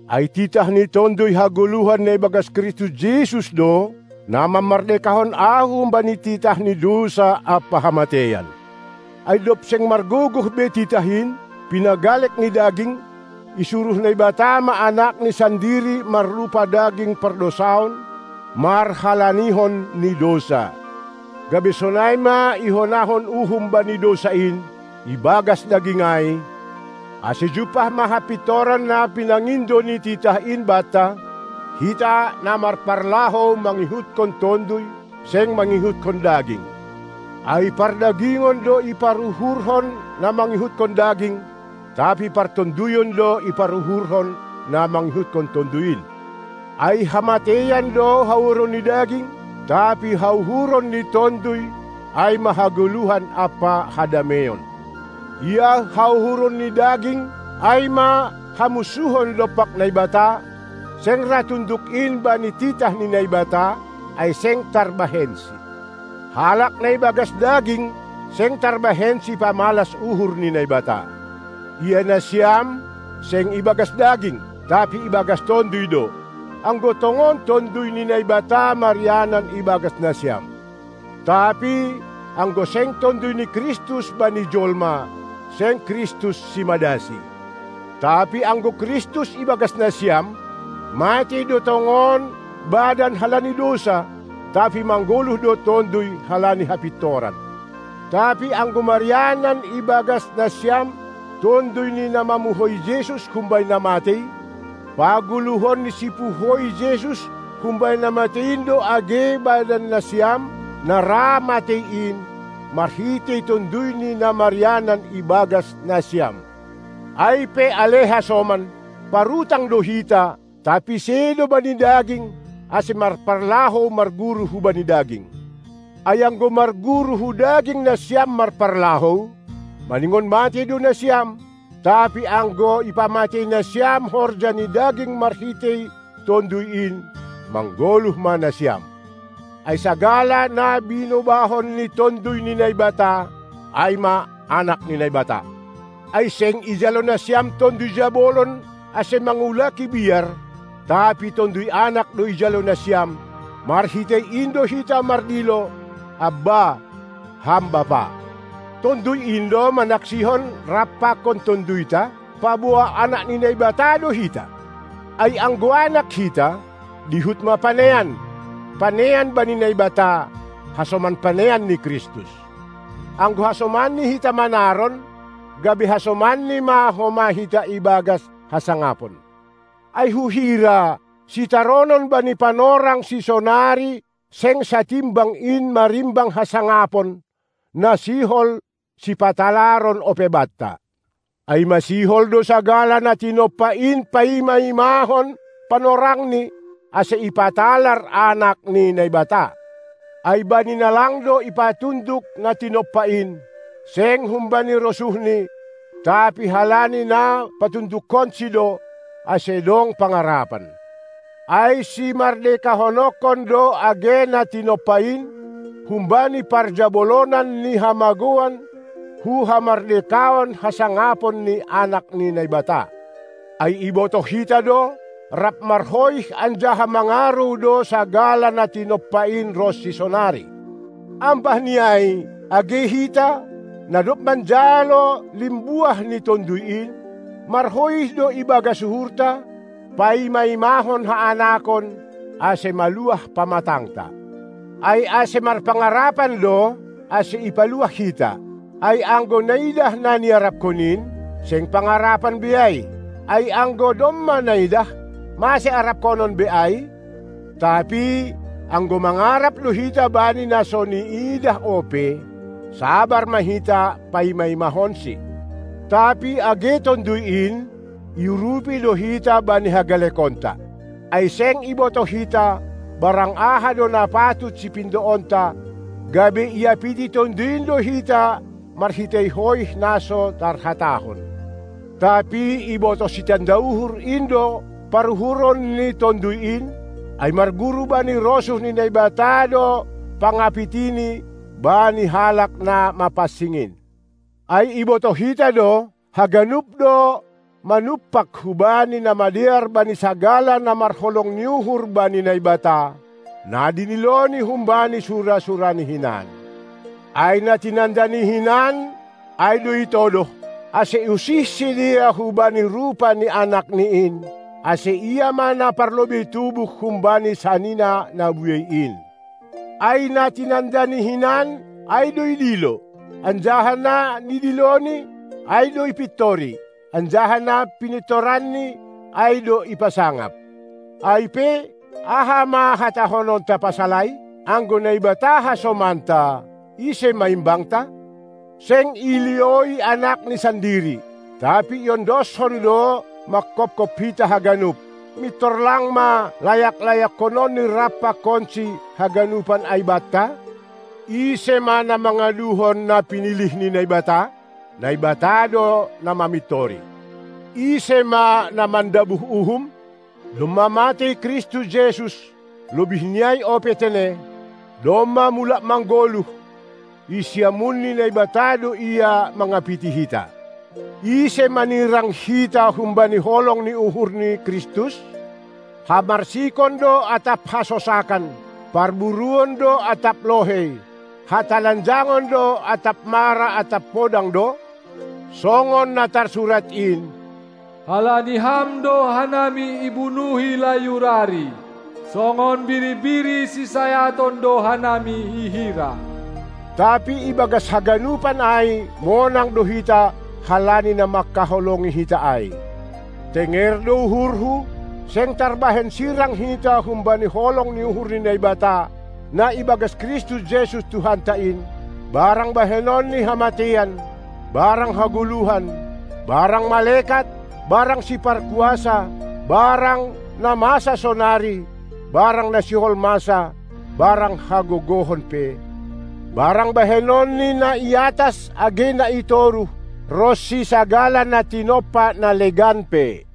Ai titah ni Tonduy hagoluhan na ibagas Kristus Jesus do, na mamardekahon ahu humbani titah ni dousa ampa hamateian. Ai dob seng margogoh be titah in, pinagalek ni daging, isuruh Naibata ma Anakni sandiri marrupa daging pardousaon, marhalanihon ni dousa. Gabe sonai ma ihonahon uhum bani dousa in, ibagas daging ai, ase jumpah ma hapintoran na pinangindo ni titah in banta, hita na marparlahou mangihutkon Tonduy, seng mangihutkon daging. Ai pardagingon do iparuhurhon na mangihutkon daging, tapi partonduyon do iparuhurhon na mangihutkon Tonduy in. Ai hamateian do hauhuron ni daging, tapi hauhuron ni Tonduy, ai ma hagoluhan ampa hadameion. Ia hauhuron ni daging, ai ma hamusuhon dompak Naibata, seng ra tunduk in bani titah ni Naibata, ai seng tarbahensi. Halak na ibagas daging, seng tarbahensi pamalas uhur ni Naibata. Ia nasiam, seng ibagas daging, tapi ibagas Tonduy do. Anggo tongon Tonduy ni Naibata marianan ibagas nasiam. Tapi anggo seng Tonduy ni Kristus bani jolma, seng Kristus simadasi. Tapi anggo Kristus ibagas nasiam, matei do tongon badan halani dousa, tapi manggoluh do Tonduy halani hapintoran. Tapi anggo marianan ibagas nasiam Tonduy ni na mamuhoi Jesus humbani na matei, pagoluhon ni sipuhoi Jesus humbani na matei in do age badan nasiam na ra matei in, marhitei Tonduy ni na marianan ibagas nasiam. Ai pe ale hasoman, parutang do hita, tapi sedo bani daging, ase marparlahou marguru hubani daging. Ai anggo marguru hu daging nasiam marparlahou, maningon matei do nasiam, tapi anggo ipamatei nasiam horja ni daging marhitei Tonduy in, manggoluh ma nasiam. Ai sagala na binobahon ni Tonduy ni Naibata, ai ma anak ni Naibata. Ai seng ijalo nasiam Tonduy jabolon ase mangulaki biar, tapi Tonduy Anak do ijalo nasiam, marhitei in do hita mardilo: Abba, Ham Bapa. Tonduy in do manaksihon rap pakon Tonduyta, paboa anak ni Naibata do hita. Ai anggo anak hita, dihut ma panean, panean bani Naibata, hasoman panean ni Kristus. Anggo hasomanni hita manaron, gabe hasomanni ma homa hita ibagas hasangapon. Ai huhira, sitaronon bani panorang sisonari seng satimbang in marimbang hasangapon, na sihol sipatalaron ope banta. Ai masihol do sagala na tinompa in paima-imahon panorangni, ase ipatalar Anak ni Naibata. Ai bani na lang do ipatunduk na tinompa in, seng humbani rosuhni, tapi halani na patundukkonsi do, ase dong pangarapan. Ai simardekahononkon do age na tinompa in, humbani parjabolonan ni hamagoan, hu hamardekaon hasangapon ni Anak ni Naibata. Ai ibotoh hita do, rap marhoih anjaha mangarou do sagala na tinompa in ronsi sonari. Ambah ni ai, age hita, na dob manjalo limbuah ni Tonduy in, marhoih do ibagas uhurta, paima-imahon haanakon, ase maluah pamatangta. Ai ase marpangarapan do, ase ipaluah hita. Ai anggo naidah na niarapkon in, seng pangarapan be ai. Ai anggo domma naidah, mase arapkonon be ai? Tapi anggo mangarap do hita bani na so niidah ope, sabar ma hita paima-imahonsi. Tapi age Tonduy in, iurupi do hita bani hagalekonta. Ai seng ibotoh hita, barang aha do na patut sipindoonta, gabe iapiti Tonduy in do hita marhitei hoih na so tarhatahon. Tapi ibotoh sitanda uhur in do paruhuron ni Tonduy in, ai marguru bani rosuh ni Naibata do pangapitini bani halak na mapansing in. Ai ibotoh hita do, haganup do manumpak hubani na madear bani sagala na marholong ni uhur bani Naibata, na diniloni humbani sura-surani hinan. Ai na tinandani hinan, ai do itodoh, ase iusih sidea hubani rupa ni Anakni in, ase ia ma na parlobei tubuh humbani sanina na buei in. Ai na tinandani hinan, ai do idilo, anjaha na nidiloni, ai do ipintori, anjaha na pinintoranni, ai do ipasangap. Ai pe, aha ma hatahononta pasal ai? Anggo Naibata hasomanta, ise ma imbangta? Seng ilioi Anakni sandiri, tapi iondoshon do mangkopkop hita haganup, mintor lang ma layak-layakkononni rap pakonsi haganupan ai banta? Ise ma na mangaduhon na pinilih ni Naibata? Naibata do na mamintori. Ise ma na mandabuh uhum? Domma matei Kristus Jesus, lobih ni ai ope tene, domma mulak manggoluh, i siamun ni Naibata do Ia mangapiti hita. Ise manirang hita humbani holong ni uhur ni Kristus? Hamarsikon do atap hasosakan, parburuon do atap lohei, hatalanjangon do atap mara atap podang do? Songon na tarsurat in: Halani Ham do hanami ibunuhi layurari, songon biri-biri sisayaton do hanami ihira. Tapi ibagas haganupan ai monang do hita halani na mangkaholongi hita ai. Tenger do uhurhu, seng tarbahen sirang hita humbani holong ni uhur ni Naibata, na ibagas Kristus Jesus Tuhanta in, barang bahenon ni hamateian, barang hagoluhan, barang malekat, barang siparkuasa, barang na masa sonari, barang na sihol masa, barang hagogohon pe, barang bahenon ni na i atas age na i toruh, ronsi sagala na tinompa na legan pe.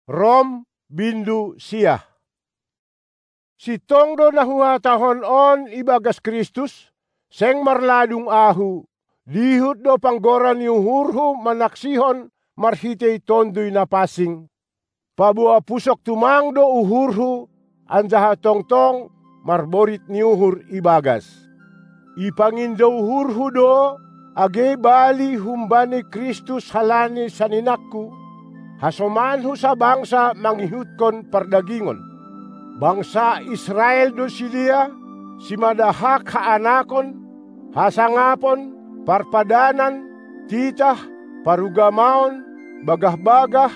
Rom, bindu siah. Sintong do na huhatahon on ibagas Kristus, seng marladung ahu, dihut do panggora ni uhurhu manaksihon marhitei Tonduy Napansing. Paboa pusok tumang do uhurhu, anjaha tongtong marborit ni uhur ibagas. Ipangindo uhurhu do, age bali humbani Kristus halani saninangku, hasomanhu sabangsa mangihutkon pardagingon. Bangsa Israel do sidea, simadahak haanakon, hasangapon, parpadanan, titah, parugamaon, bagah-bagah,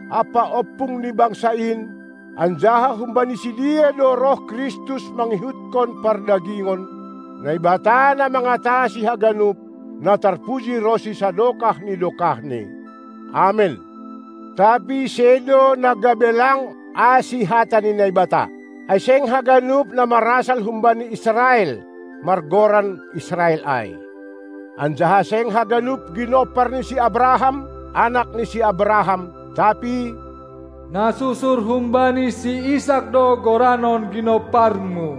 ampa ompung ni bangsa in, anjaha humbani sidea do roh Kristus mangihutkon pardagingon, Naibata na mangatasi haganup, na tarpuji ronsi sadokah ni dokahni. Amen. Tapi sedo na gabe lang asi hata ni Naibata, ai seng haganup na marasal humbani Israel, margoran Israel ai. Anjaha seng haganup ginompar ni si Abraham, anak ni si Abraham, tapi na susur humbani si Isak do goranon ginomparmu.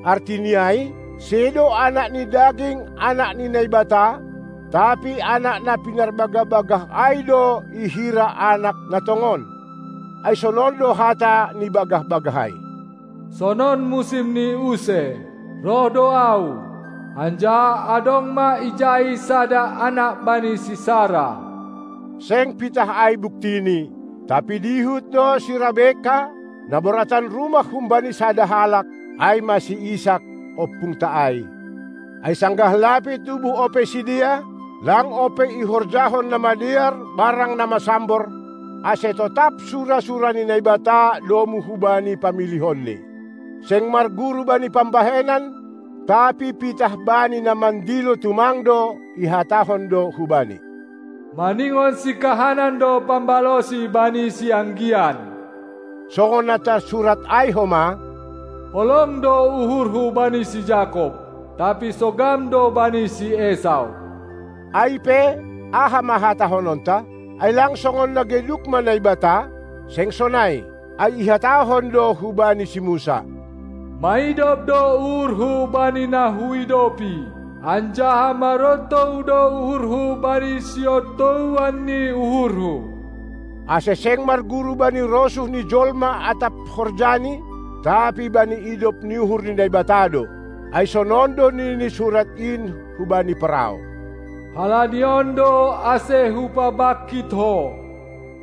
Artini ai, sedo anak ni daging anak ni Naibata, tapi anak na pinarbagah-bagah ai do ihira anak na tongon. Ai sonon do hata ni bagah-bagah ai: Sonon musim ni use, roh do Ahu, anjaha adong ma ijai sada anak bani si Sara. Seng pitah ai buktini, tapi dihut do si Rebeka, na boratan rumah humbani sada halak, ai ma si Isak, ompungta ai. Ai sanggah lape tubuh ope sidea, lang ope ihorjahon na madear barang na masambor, ase totap sura-sura ni Naibata domu hubani pamilihonNi. Seng marguru bani pambahenan, tapi pitah bani na mandilo tumang do ihatahon do hubani: Maningon sikahanan do pambalosi bani sianggian. Songon na tarsurat ai homa: Holong do uhurhu bani si Jakob, tapi sogam do bani si Esau. Ai pe, aha ma hatahononta? Ai lang songon na geduk ma Naibata? Seng sonai, ai ihatahon do hubani si Musa: Maidop do uhurhu bani na huidopi, anjaha marontou do uhurhu bani siontouan ni uhurhu. Ase seng marguru bani rosuh ni jolma atap horjani, tapi bani idop ni uhur ni Naibata do. Ai sonon do nini surat in hubani Parao: Halani on do ase hupabangkit ho,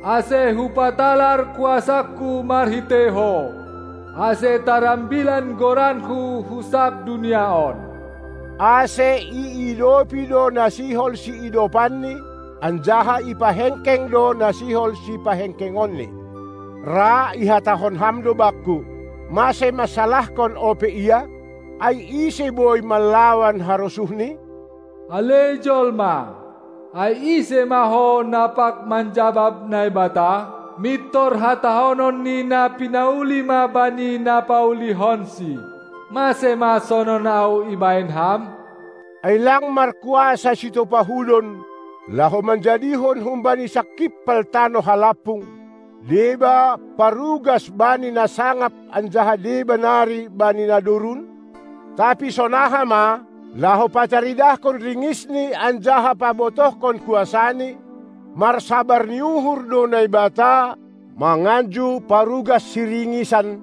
ase hupatalar kuasangku marhitei ho, ase tarambilan goranku hu sab dunia on. Ase iidopi do na sihol siidopanni, anjaha ipahengkeng do na sihol sipahengkengonni. Ra ihatahon ham do bangku: Mase mansalahkon ope Ia? Ai ise boi manlawan harosuhNi? Ale jolma, ai ise ma ho na pag manjabab Naibata? Mintor hatahonon ni na pinauli ma bani na paulihonsi: Mase ma sonon ahu ibahen ham? Ai lang markuasa sitopahudon, laho manjadihon humbani sangkimpal tano halampung, deba parugas bani na sangap anjaha deba nari bani na durun? Tapi sonaha ma, laho pataridahkon ringisni anjaha pabotohkon kuasani, marsabar ni uhur do Naibata, manganju parugas siringisan,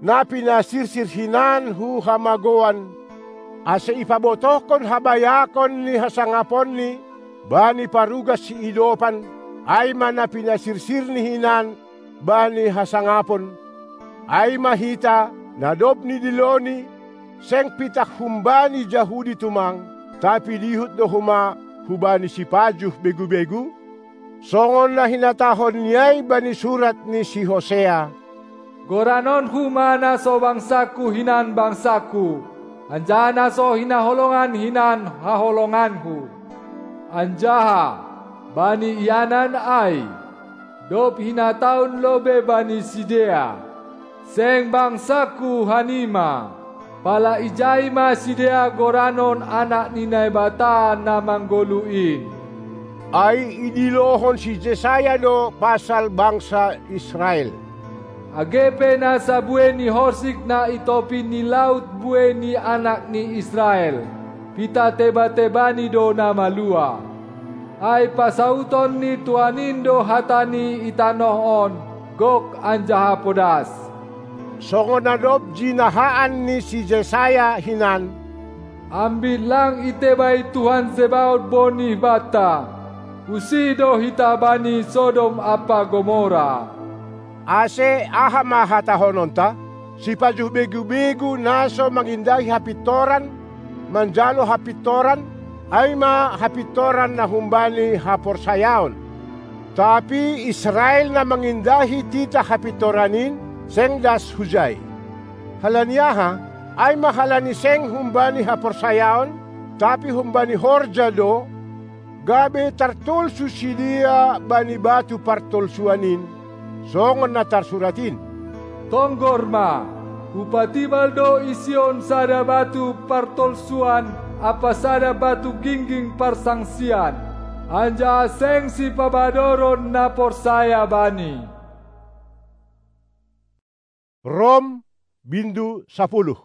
na pinasirsir hinan hu hamagoan, ase ipabotohkon habayakon ni hasangaponni bani parugas siidopan, ai ma na pinasirsirni hinan bani hasangapon, ai ma hita, na dob nidiloni, seng pitah humbani Jahudi tumang, tapi dihut do homa hubani sipajuh begu-begu? Songon na hinatahonni ai bani surat ni si Hosea: Goranonku ma na so bangsangku hinan bangsangku, anjaha na so hinaholongan hinan haholonganku. Anjaha, bani ianan ai, dob hinatahon lobei bani sidea: Seng bangsangku hanima, pala ijai ma sidea goranon anak ni Naibata na manggoluh in. Ai idilohon si Jesaya do pasal bangsa Israel: Age pe nasa buei ni horsik na i topi ni laut buei ni anak ni Israel, pitateba-tebani do na maluah. Ai pasauton ni Tuhan in do hata ni i tanoh on, gok anjaha podas. Songon na dob jinahaan ni si Jesaya hinan: Ambit lang iteba i Tuhan Zebaot bonih banta, usih do hita bani Sodom ampa Gomora. Ase aha ma hatahononta? Sipajuh begu-begu na so mangindahi hapintoran, manjalo hapintoran, ai ma hapintoran na humbani haporsayaon. Tapi Israel na mangindahi titah hapintoran in, seng das hujai. Halani aha? Ai ma halani seng humbani haporsayaon, tapi humbani horja do, gabe tartolsu sidea bani batu partolsuan in, songon na tarsurat in: Tonggor ma, hupatibal do i Sion sada batu partolsuan ampa sada batu gingging parsangsian, anjaha seng sipabadoron na porsaya bani. Rom, bindu sapuluh.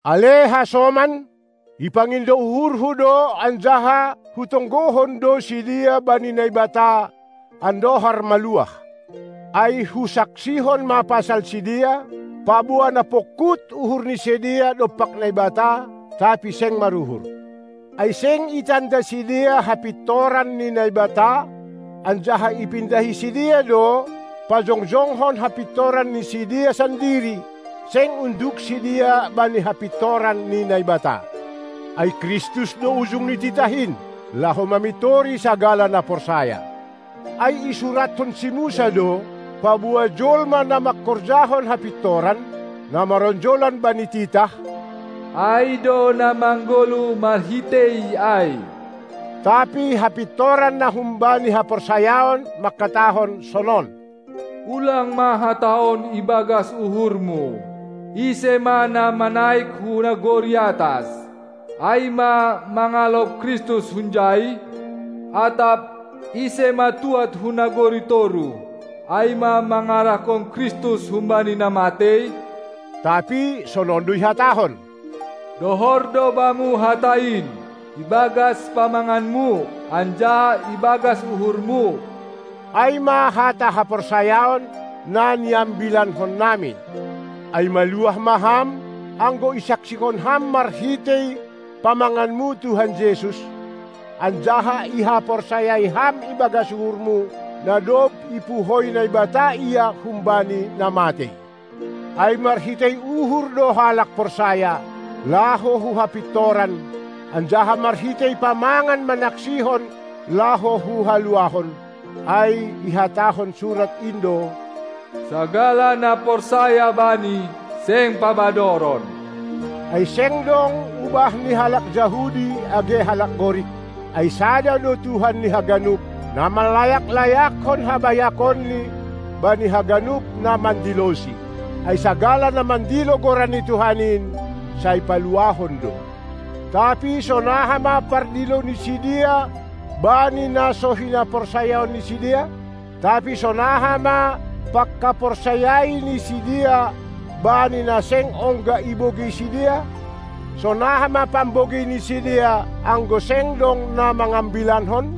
Ale hasoman, ipangindo uhurhu do anjaha hutonggohon do sidea bani Naibata andohar maluah. Ai husaksihon ma pasal sidea, paboa na pongkut uhur ni sidea dompak Naibata, tapi seng maruhur. Ai seng itanda sidea hapintoran ni Naibata, anjaha ipindahi sidea do, pajongjonghon hapintoran ni sidea sandiri, seng unduk sidea bani hapintoran ni Naibata. Ai Kristus do ujung ni titah in, laho mamintori sagala na porsaya. Ai isurathon si Musa do, paboa jolma na mangkorjahon hapintoran, na maronjolan bani titah, ai do na manggoluh marhitei ai. Tapi hapintoran na humbani haporsayaon mangkatahon sonon: Ulang ma hatahon ibagas uhurmu: Ise ma na manaik hu nagori atas? Ai ma mangalop Kristus hunjai? Atap: Ise ma tuat hu nagori toruh? Ai ma mangarahkon Kristus humbani na matei? Tapi sonon do ihatahon: Dohor do bamu hata in, ibagas pamanganmu, anjaha ibagas uhurmu. Ai ma hata haporsayaon na niambilannami. Ai maluah ma ham, anggo isaksihon ham marhitei pamanganmu Tuhan Jesus, anjaha ihaporsayai ham ibagas uhurmu, na dob ipuhoi Naibata Ia humbani na matei. Ai marhitei uhur do halak porsaya, laho hu hapintoran, anjaha marhitei pamangan manaksihon, laho hu haluahon. Ai ihatahon surat in do: Sagala na porsaya Bani, seng pabadoron. Ai seng dong ubah ni halak Jahudi age halak Gorik, ai sada do Tuhan ni haganup, na manlayak-layakkon habayakonni bani haganup na mandilosi. Ai sagala na mandilo goran ni Tuhan in, sai paluahon do. Tapi sonaha ma pardilo ni sidea bani na so hinaporsayaon ni sidea? Tapi sonaha ma panghaporsayaon ni sidea bani na seng ongga ibogei sidea? Sonaha ma pambogei ni sidea, anggo seng dong na mangambilankon?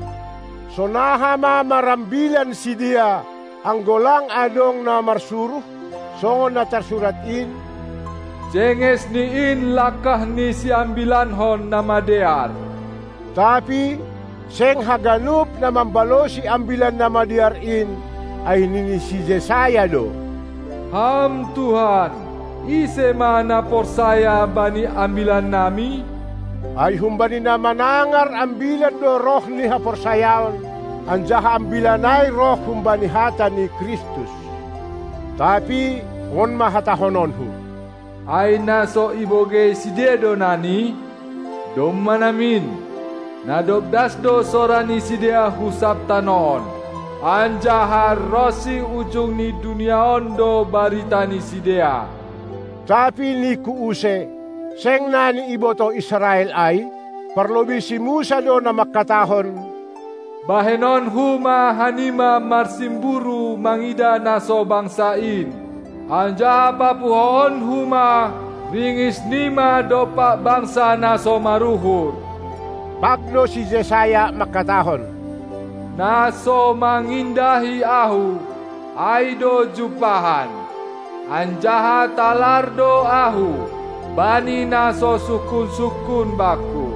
Sonaha ma marambilan sidea, anggo lang adong na marsuruh, songon na tarsurat in: Jenges ni in langkah ni siambilankon na madear. Tapi seng haganup na mambalosi ambilan na madear in, ai nini si Jesaya do: Ham Tuhan, ise ma na porsaya bani ambilannami? Ai humbani na manangar ambilan do roh ni haporsayaon, anjaha ambilan ai roh humbani hata ni Kristus. Tapi on ma hatahononku: Ai na so ibogei sidea do nani? Domma namin, na dob das do sora ni sidea hu sab tano on, anjaha ronsi ujung ni dunia on do barita ni sidea. Tapi ningku use, seng nani ibotoh Israel ai? Parlobei si Musa do na mangkatahon: Bahenonku ma hanima marsimburu mangidah na so bangsa in, anjaha papuhoonku ma ringis nima dompak bangsa na so maruhur. Pag do si Jesaya mangkatahon: Na so mangindahi ahu, ai do jumpahan, anjaha talar do ahu bani na so sungkun-sungkun bakku.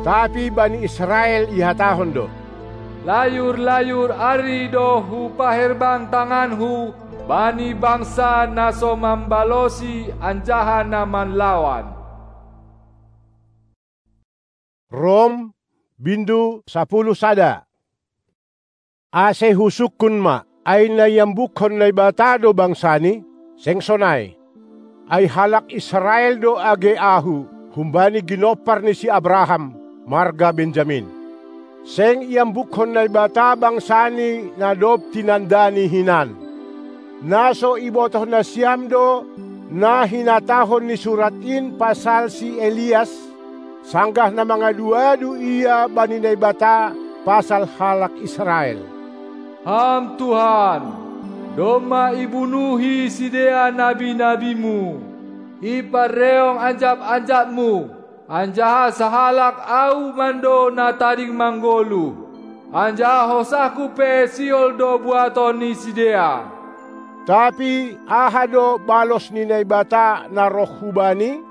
Tapi bani Israel ihatahon do: Layur-layur ari do hupaherbang tanganku bani bangsa na so mambalosi anjaha na manlawan. Rom, bindu sapuluh sada. Ase husungkun ma, ai na iambukkon Naibata do bangsani? Seng sonai. Ai halak Israel do age ahu, humbani ginompar ni si Abraham, marga Benjamin. Seng iambukkon Naibata bangsani na dob tinandani hinan. Na so ibotoh nasiam do na hinatahon ni surat in pasal si Elias, sanggah na mangadu-adu ia bani Naibata pasal halak Israel: Ham Tuhan, domma ibunuhi sidea nabi-nabimu, iparreong anjap-anjapmu, anjaha sahalak ahu mando na tading manggoluh, anjaha hosahku pe sihol do buaton ni sidea. Tapi aha do balos ni Naibata na roh hubani?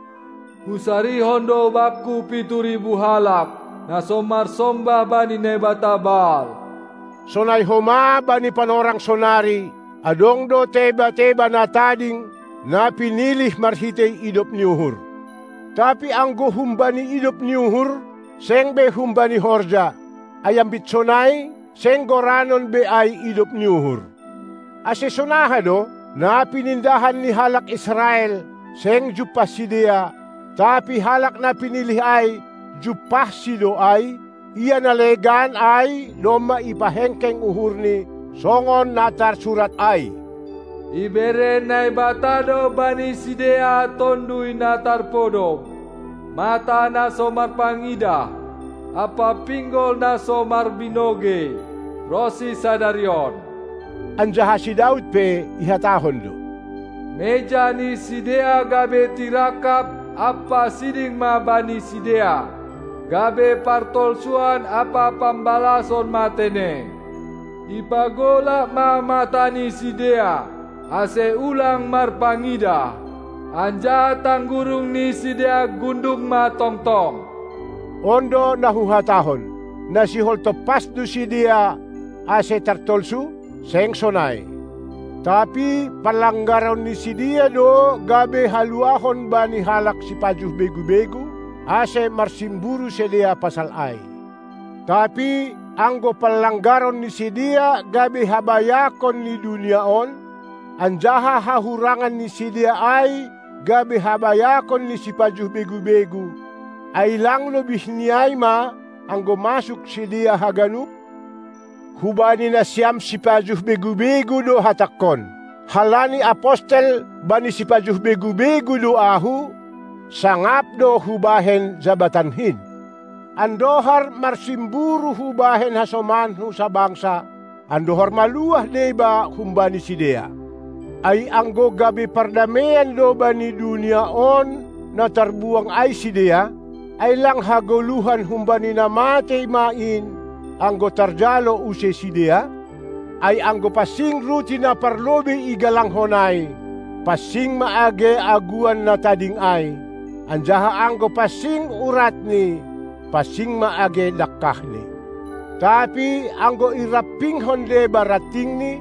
Husarihon do bakku pitu ribu halak, na so marsombah bani naibata Baal. Sonai homa bani panorang sonari, adong do teba-teba na tading, na pinilih marhitei idop ni uhur. Tapi anggo humbani idop ni uhur, seng be humbani horja, ai ambit sonai, seng goranon be ai idop ni uhur. Ase sonaha do, na pinindahan ni halak Israel, seng jumpah sidea, tapi halak na pinilih ai, jumpahsi do ai, ia na legan ai domma ipahengkeng uhurni, songon na tarsurat ai: Ibere Naibata do bani sidea Tonduy na tarpodom, mata na so marpangidah, ampa pinggol na so marbinoge, ronsi sadari on. Anjaha si Daud pe ihatahon do: Meja ni sidea gabe tirangkap ampa siding ma bani sidea, gabe partolsuan ampa pambalason ma tene. Ipagolap ma mata ni sidea, ase ulang marpangidah, anjaha tanggurung ni sidea gundung ma tongtong. On do na huhatahon: Na sihol tompas do sidea ase tartolsu? Seng sonai. Tapi panlanggaron ni sidea do gabe haluahon bani halak sipajuh begu-begu, ase marsimburu sidea pasal ai. Tapi anggo panlanggaron ni sidea gabe habayakon ni dunia on, anjaha hahurangan ni sidea ai gabe habayakon ni sipajuh begu-begu, ai lang lobih ni ai ma, anggo masuk sidea haganup? Hubani nasiam sipajuh begu-begu do hatangkon, halani apostel bani sipajuh begu-begu do ahu, sangap do hubahen jabatanhin. Andohar marsimburu hubahen hasomanhu sabangsa, andohar maluah deba humbani sidea. Ai anggo gabe pardameian do bani dunia on na tarbuang ai sidea, ai lang hagoluhan humbani na matei ma in, anggo tarjalo use sidea? Ai anggo pansing ruti na parlobei igalanghon ai, pansing ma age aguan na tading ai, anjaha anggo pansing uratni, pansing ma age dangkahni. Tapi anggo irampinghon deba rantingni,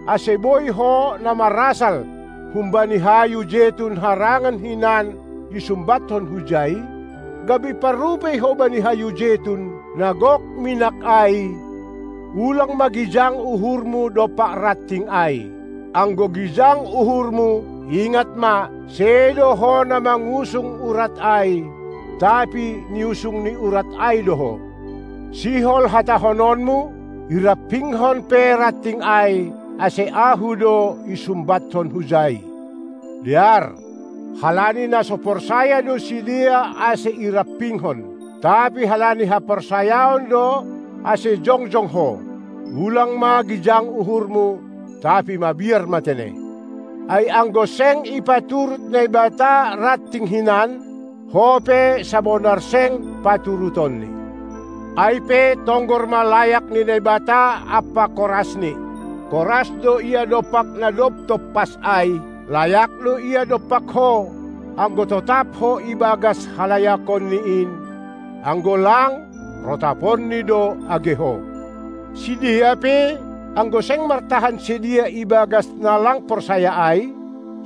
ase boi ho na marasal humbani hayu jetun harangan hinan isumbathon hujai, gabe parrupei ho bani hayu jetun na gok minak ai, ulang ma gijang uhurmu dompak ranting ai. Anggo gijang uhurmu, ingat ma, sedo ho na mangusung urat ai, tapi niusung ni urat ai do ho. Sihol hatahononmu, irampinghon pe ranting ai, ase ahu do isumbathon hujai. Dear, halani na so porsaya do sidea ase irampinghon, tapi halani haporsayaon do ase jongjong ho. Ulang ma gijang uhurmu, tapi mabiar ma tene. Ai anggo seng ipaturut Naibata ranting hinan, ho pe sabonar seng paturutonni. Ai pe tonggor ma layak ni Naibata ampa korasni. Koras do ia dompak na dob tompas ai, layak do ia dompak ho, anggo totap ho ibagas halayakonni in. Anggo lang, rotaponni do age ho. Sidea pe, anggo seng martahan sidea ibagas na lang porsaya ai,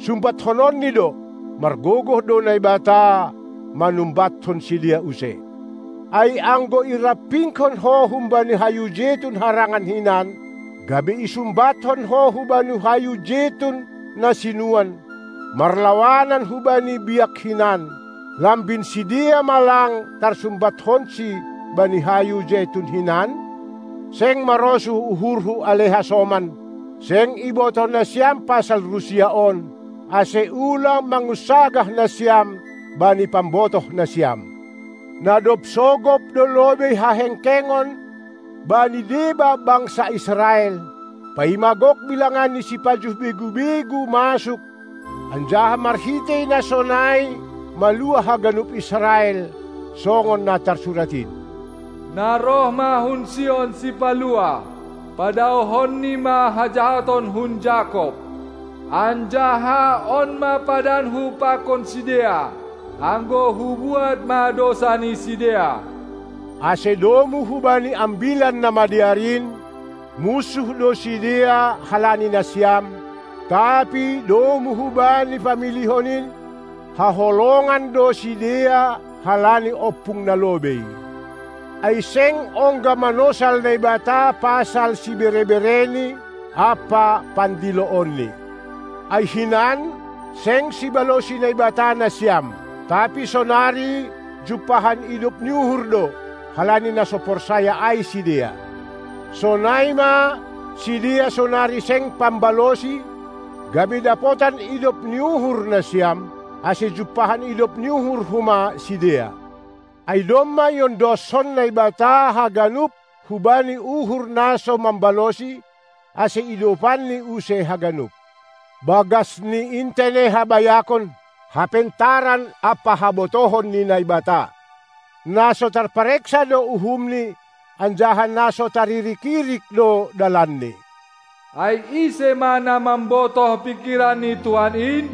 sumbathononni do, margogoh do Naibata manumbathon sidea use. Ai anggo irampingkon ho humbani hayu jetun harangan hinan, gabe isumbathon ho hubani hayu jetun na sinuan, marlawanan hubani biak hinan, lambin sidea ma lang tarsumbathonsi bani hayu jetun hinan? Seng marosuh uhurhu ale hasoman, seng ibotoh nasiam pasal rusia on, ase ulang mangunsagah nasiam bani pambotoh nasiam. Na dob sogop do lobei hahengkengon bani deba bangsa Israel, paima gok bilangan ni sipajuh begu-begu masuk, anjaha marhitei na sonai maluah haganup Israel, songon na tarsurat in. Na roh ma hun Sion Sipaluah, padaohonni ma hajahaton hun Jakob. Anjaha on ma padanhu pakon sidea, anggo hubuat ma dousa ni sidea. Ase domu hubani Ambilan Namadear in, munsuh do sidea halani nasiam, tapi domu hubani pamilihon in, haholongan do sidea halani ompung na lobei. Ai seng ongga manosal Naibata pasal siberebereni ampa pandiloonni. Ai hinan, seng sibalosi Naibata nasiam, tapi sonari jumpahan idop ni uhur do, halani na so porsaya ai sidea. Sonai ma, sidea sonari seng pambalosi, gabe dapotan idop ni uhur nasiam, ase jumpahan idop ni uhur homa sidea. Ai domma iondoshon Naibata haganup hubani uhur na so mambalosi, ase idopanni use haganup. Bagas ni intene habayakon, hapentaran ampa habotohon ni Naibata. Na so tarpareksa do uhumni, anjaha na so taririk-irik do dalanni. Ai ise ma na mambotoh pingkiran ni Tuhan in?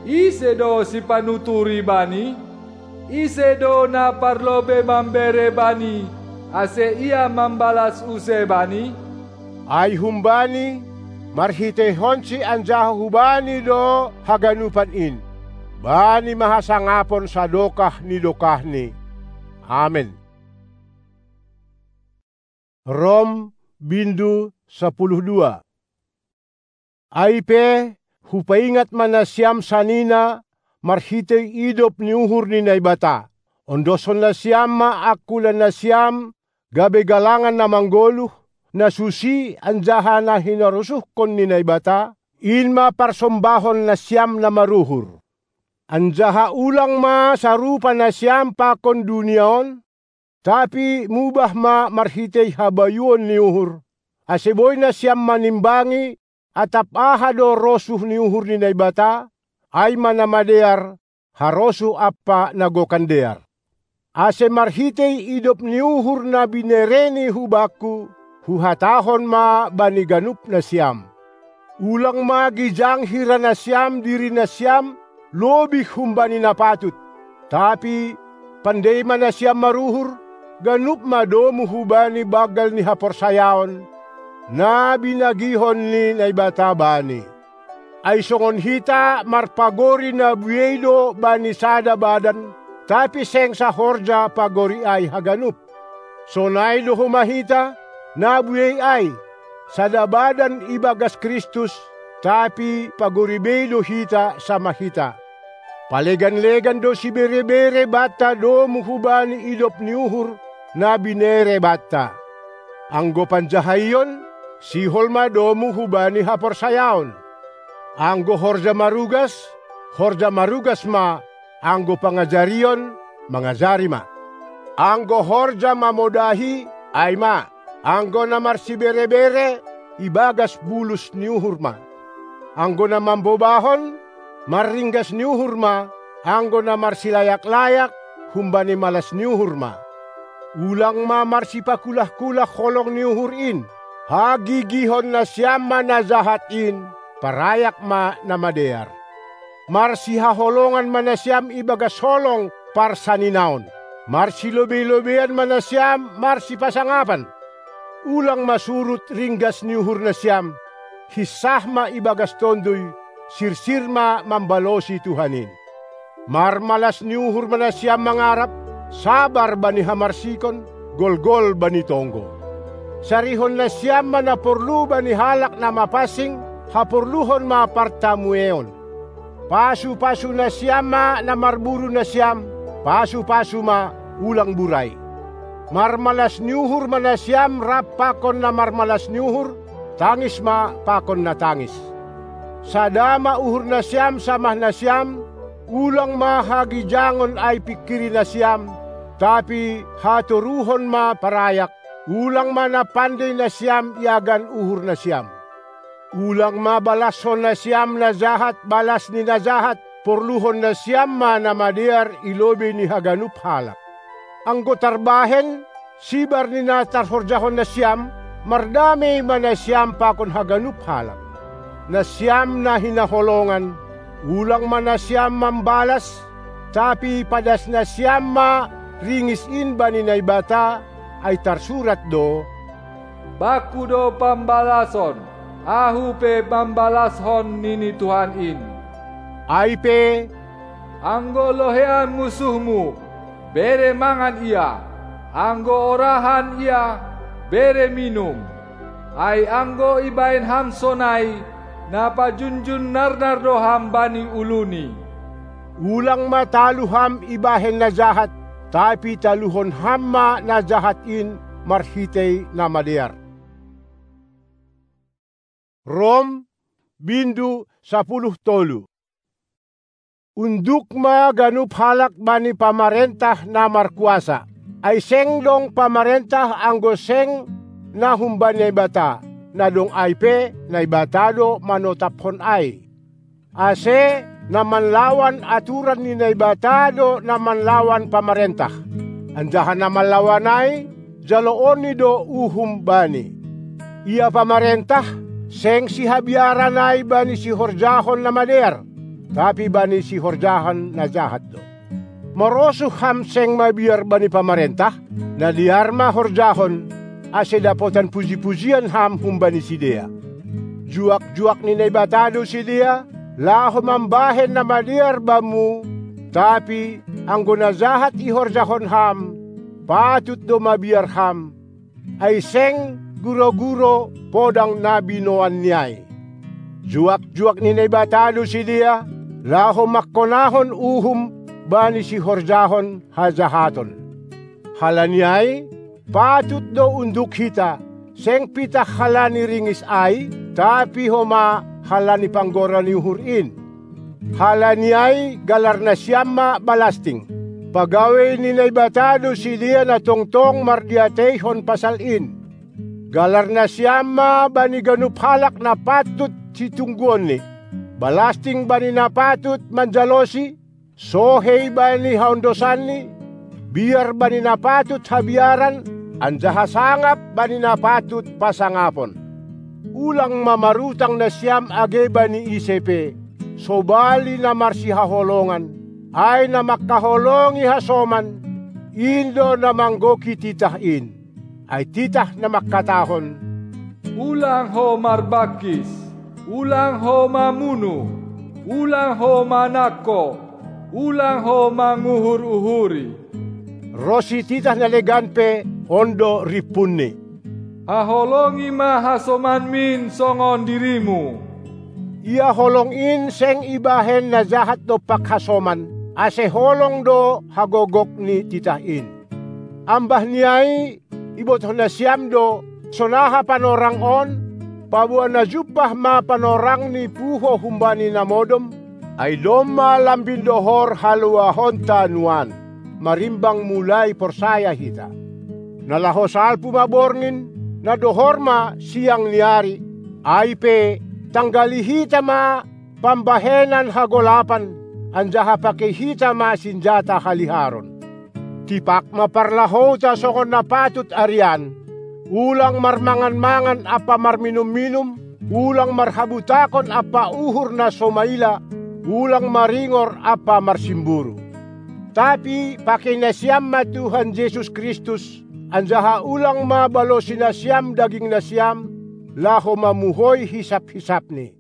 Ise do sipanuturi bani? Ise do na parlobei mambere bani, ase ia mambalas use bani? Ai humbani, marhiteihonsi anjaha hubani do haganupan in. Bani ma hasangapon sadokah ni dokahni. Amen. Rom bindu sapuluh dua. Ai pe, hupaingat ma nasiam sanina marhitei idop ni uhur ni Naibata. Ondoshon nasiam ma angkulan nasiam gabe galangan na manggoluh, na susi anjaha na hinarosuhkon ni Naibata, in ma parsombahon nasiam na maruhur. Anjaha ulang ma sarupa nasiam pakon dunia on, tapi mubah ma marhitei habayuon ni uhur, ase boi nasiam manimbangi atap aha do rosuh ni uhur ni Naibata, ai ma na madear, harosuh ampa na gokan dear. Ase marhitei idop ni uhur na binereNi hubakku, huhatahon ma bani ganup nasiam: Ulang ma gijang hira nasiam diri nasiam lobih humbani na patut, tapi pandei ma nasiam maruhur, ganup ma domu hubani banggal ni haporsayaon, na binagihon ni Naibata bani. Ai songon hita marpagori na buei do bani sada badan, tapi seng sahorja pagori ai haganup. Sonai do homa hita, na buei ai, sada badan ibagas Kristus, tapi pagori bei do hita samah hita. Palegan-legan do siberebere banta domu hubani idop ni uhur na binere banta. Anggo panjahaion, sihol ma domu hubani haporsayaon. Anggo horja marugas, horja marugas ma, anggo pangajarion, mangajari ma. Anggo horja mamodahi, ai ma, anggo na marsiberebere, ibagas bulus ni uhur ma. Anggo na mambobahon, marringgas ni uhur ma, anggo na marsilayak-layak, humbani malas ni uhur ma. Ulang ma marsipakulah-kulah holong ni uhur in. Hagigihon nasiam ma na jahat in, parayak ma na madear. Marsihaholongan ma nasiam ibagas holong parsaninaon. Marsilobei-lobeian ma nasiam marsipasangapan. Ulang ma surut ringgas ni uhur nasiam, hinsah ma ibagas Tonduy, sirsir ma mambalosi Tuhan in. Marmalas ni uhur ma nasiam mangarap, sabar bani hamarsikon, golgol bani tonggo. Sarihon nasiam ma na porlu bani halak na mapansing, haporluhon ma partamueon. Pasu-pasu nasiam ma na marburu nasiam, pasu-pasu ma, ulang burai. Marmalas ni uhur ma nasiam rap pakon na marmalas ni uhur, tangis ma pakon na tangis. Sada ma uhur nasiam samah nasiam, ulang ma hagijangon ai pingkiri nasiam, tapi hatoruhon ma parayak, ulang ma na pandei nasiam iagan uhur nasiam. Ulang ma balashon nasiam na jahat balas ni na jahat, porluhon nasiam ma na madear i lobei ni haganup halak. Anggo tarbahen, sibar ni na tarhorjahon nasiam, mardamei ma nasiam pakon haganup halak. Nasiam na hinaholongan, ulang ma nasiam mambalas, tapi padas nasiam ma ringis in bani Naibata, ai tarsurat do: Bakku do pambalason, ahu pe mambalashon, nini Tuhan in. Ai pe: Anggo lohean musuhmu, bere mangan ia, anggo orahan ia, bere minum. Ai anggo ibahen ham sonai, na pajunjun narnar do ham bani uluni. Ulang ma talu ham ibahen na jahat, tapi taluhon ham ma na jahat in marhitei na madear. Rom, bindu sapuluh tolu. Unduk ma ganup halak bani pamarentah na markuasa. Ai seng dong pamarentah anggo seng na humbani Naibata, na dong ai pe Naibata do manotaphon ai. Ase na manlawan aturan ni Naibata do na manlawan pamarentah. Anjaha na manlawan ai, jaloonni do uhum bani. Ia pamarentah, seng sihabiaran ai bani sihorjahon na madear, tapi bani sihorjahon na jahat do. Marosuh ham seng mabiar bani pamarentah, na dear ma horjahon, ase dapotan puji-pujian ham humbani sidea. Juak-juak ni Naibata do sidea, laho mambahen na madear bamu, tapi anggo na jahat ihorjahon ham, patut do mabiar ham, ai seng guro-guro podang na binoanni ai. Juak-juak ni Naibata do sidea, laho mangkonahon uhum bani sihorjahon hajahaton. Halani ai, patut do unduk hita, seng pitah halani ringis ai, tapi homa halani panggora ni uhur in. Halani ai galar nasiam ma balasting. Pagawei ni Naibata do sidea na tongtong mardiateihon pasal in. Galar nasiam ma bani ganup halak na patut situngguonni. Balasting bani na patut manjalosi, sohei bani haondosanni, biar bani na patut habiaran, anjaha sangap bani na patut pasangapon. Ulang ma marutang nasiam age bani ise pe, sobali na marsihaholongan, ai na mangkaholongi hasoman, in do na manggoki titah in. Ai titah na mangkatahon: Ulang ho marbangkis, ulang ho mamunu, ulang ho manangko, ulang ho manguhur-uhuri. Ronsi titah na legan pe, on do rimpunni: Haholongi ma hasomanmin songon dirimu. Ia holong in seng ibahen na jahat dompak hasoman, ase holong do hagogok ni titah in. Ambah ni ai, ibotoh nasiam do, sonaha panorang on, paboa na jumpah ma panorang ni puho humbani na modom, ai domma lambin dohor haluahonta nuan, marimbang mulai porsaya hita. Na laho salpu ma borngin, na dohor ma siang ni ari, ai pe, tanggali hita ma pambahenan hagolapan, anjaha pakei hita ma sinjata haliharon. Tipak ma parlahouta songon na patut arian, ulang marmangan-mangan ampa marminum-minum, ulang marhabutakon ampa uhur na so maila, ulang maringor ampa marsimburu. Tapi pakei nasiam ma Tuhan Jesus Kristus, anjaha ulang ma balosi nasiam daging nasiam, laho mamuhoi hisap-hisapni.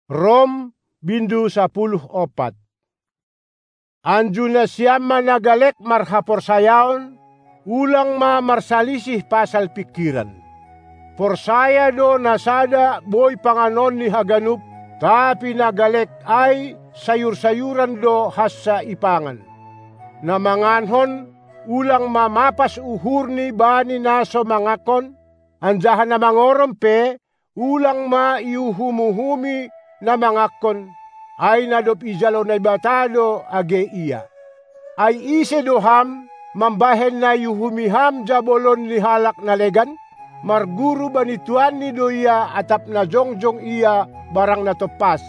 Rom, bindu sapuluh ompat. Anju nasiam ma na galek marhaporsayaon, ulang ma marsalisih pasal pingkiran. Porsaya do na sada boi panganon ni haganup, tapi na galek ai sayur-sayuran do hansa ipangan. Na mangankon, ulang ma mapas uhurni bani na so mangankon, anjaha na mangorom pe, ulang ma iuhum-uhumi na mangankon, ai na dob ijalo Naibata do age ia. Ai ise do ham, mambahen na iuhumi ham jabolon ni halak na legan? Marguru bani tuanni do ia atap na jongjong ia barang na tompas,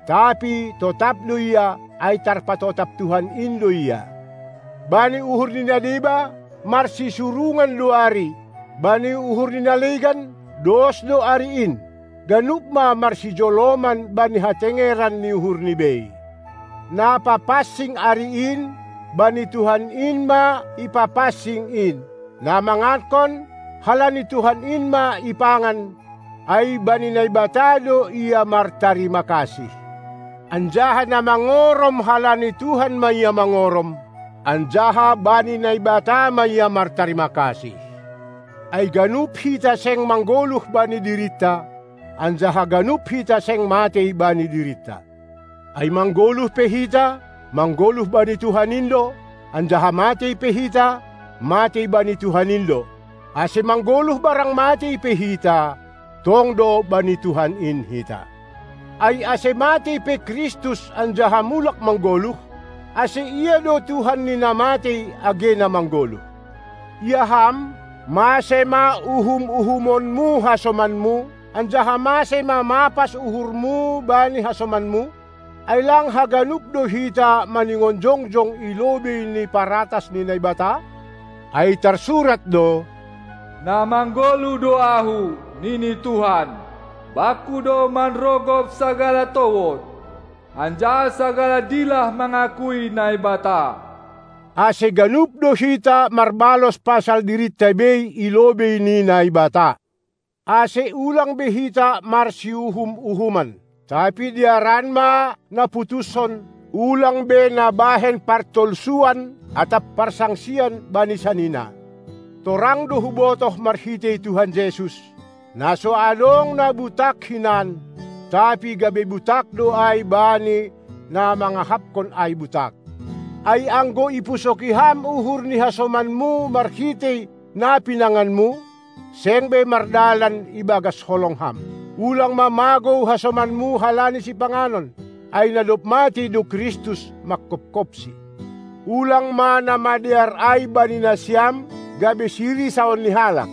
tapi totap do ia, ai tarpatotap Tuhan in do ia. Bani uhur ni na deba, marsisurungan do ari, bani uhur ni na legan, dos do ari in, ganup ma marsijoloman bani hatengeran ni uhurni bei. Na papansing ari in, bani Tuhan in ma ipapansing in, na mangankon, halani Tuhan in ma ipangan, ai bani Naibata do ia martarima kasih. Anjaha na mangorom halani Tuhan ma ia mangorom, anjaha bani Naibata ma ia martarima kasih. Ai ganup hita seng manggoluh bani dirinta, anjaha ganup hita seng matei bani dirinta. Ai manggoluh pe hita, manggoluh bani Tuhan in do, anjaha matei pe hita, matei bani Tuhan in do. Ase manggoluh barang matei pe hita, tong do bani Tuhan in hita. Ai ase matei pe Kristus anjaha mulak manggoluh, ase ia do Tuhan ni na matei age na manggoluh. Ia ham, mase ma uhum-uhumonmu hasomanmu, anjaha mase ma mapas uhurmu bani hasomanmu? Ai lang haganup do hita maningon jongjong i lobei ni paratas ni Naibata? Ai tarsurat do: Na manggoluh do ahu, nini Tuhan, bangku do manrogop sagala towod, anjaha sagala dilah mangakui Naibata. Ase ganup do hita marbalos pasal dirinta bei i lobei ni Naibata. Ase ulang be hita marsiuhum-uhuman. Tapi diaran ma na putushon, ulang be na bahen partolsuan atap parsangsian bani sanina. Torang do hubotoh marhitei Tuhan Jesus, na so adong na butak hinan, tapi gabe butak do ai bani na mangahapkon ai butak. Ai anggo ipusoki ham uhur ni hasomanmu marhitei na pinanganmu, seng be mardalan ibagas holong ham. Ulang ma magou hasomanmu halani sipanganon, ai na dob matei do Kristus mangkopkopsi. Ulang ma na madear ai bani nasiam gabe sirisaon ni halak.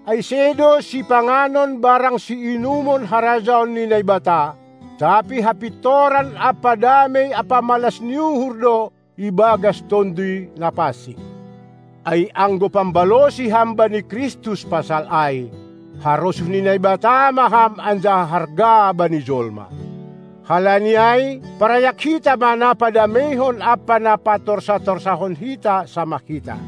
Ai sedo sipanganon barang siinumon harajaon ni Naibata, tapi hapintoran ampa damei ampa malas ni uhur do ibagas Tonduy Napansing. Ai anggo pambalosi ham bani Kristus pasal ai, harosuh ni Naibata ma ham anjaha harga bani jolma. Halani ai, parayak hita ma na padameihon ampa na patorsa-torsahon hita samah hita.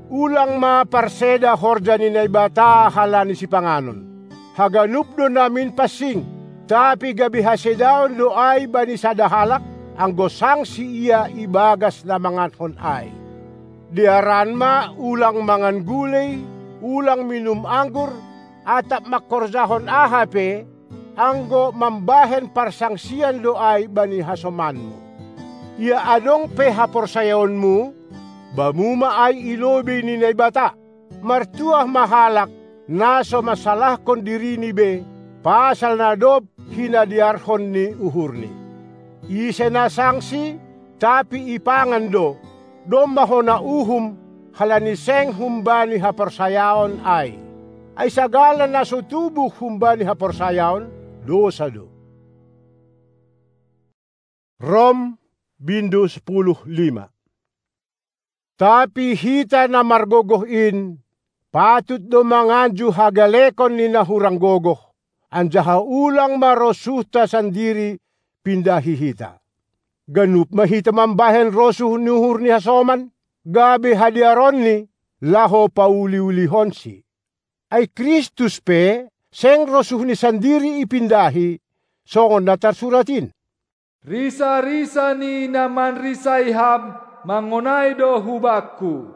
Ulang ma parseda horja ni Naibata halani sipanganon. Haganup do namin pansing, tapi gabe hasedaon do ai bani sada halak, anggo sangsi ia ibagas na mangankon ai. Dearan ma ulang mangan gulei, ulang minum anggur, atap mangkorjahon aha pe, anggo mambahen parsangsian do ai bani hasomanmu. Ia adong pe haporsayaonmu, bamu ma ai i lobei ni Naibata. Martuah ma halak, na so mansalahkon dirini be, pasal na dob hinadearhon ni uhurni. Ise na sangsi, tapi ipangan do, domma hona uhum, halani seng humbani haporsayaon ai. Ai sagala na so tubuh humbani haporsayaon, dosa do. Rom, bindu sepuluh lima. Tapi hita na margogoh in, patut do manganju hagalekon ni na hurang gogoh, anjaha ulang ma rosuhta sandiri pindahi hita. Ganup ma hita mambahen rosuh ni uhur ni hasoman, gabe hadearonni, laho pauli-ulihonsi. Ai Kristus pe, seng rosuhni sandiri ipindahi, songon na tarsurat in. Risa-risa ni na manrisai ham mangonai do hubakku.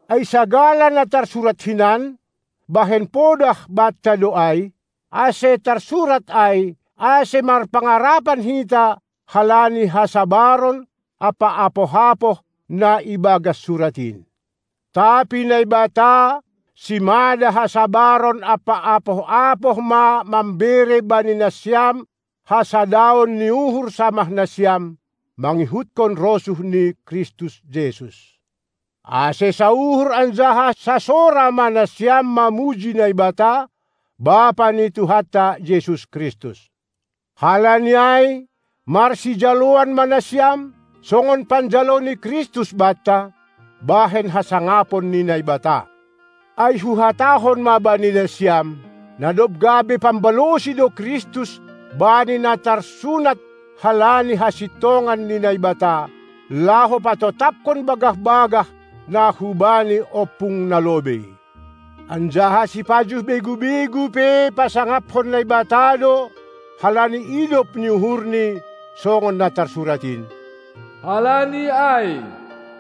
Ai sagala na tarsurat hinan, bahen podah banta do ai, ase tarsurat ai, ase marpangarapan hita halani hasabaron ampa apoh-apoh na ibagas surat in. Tapi Naibata, simada hasabaron ampa apoh-apoh ma mambere bani nasiam hasadaon ni uhur samah nasiam, mangihutkon rosuh ni Kristus Jesus. Ase sauhur anjaha sasora ma nasiam mamuji Naibata, Bapa ni Tuhanta Jesus Kristus. Halani ai, marsijaloan ma nasiam, songon panjalo ni Kristus banta, bahen hasangapon ni Naibata. Ai huhatahon ma bani nasiam, na dob gabe pambalosi do Kristus bani na tarsunat halani hasintongan ni Naibata, laho patotapkon bagah-bagah na hubani ompung na lobei. Anjaha sipajuh begu-begu pe pasangaphon Naibata do, halani idop ni uhurni, songon na tarsurat in. Halani ai,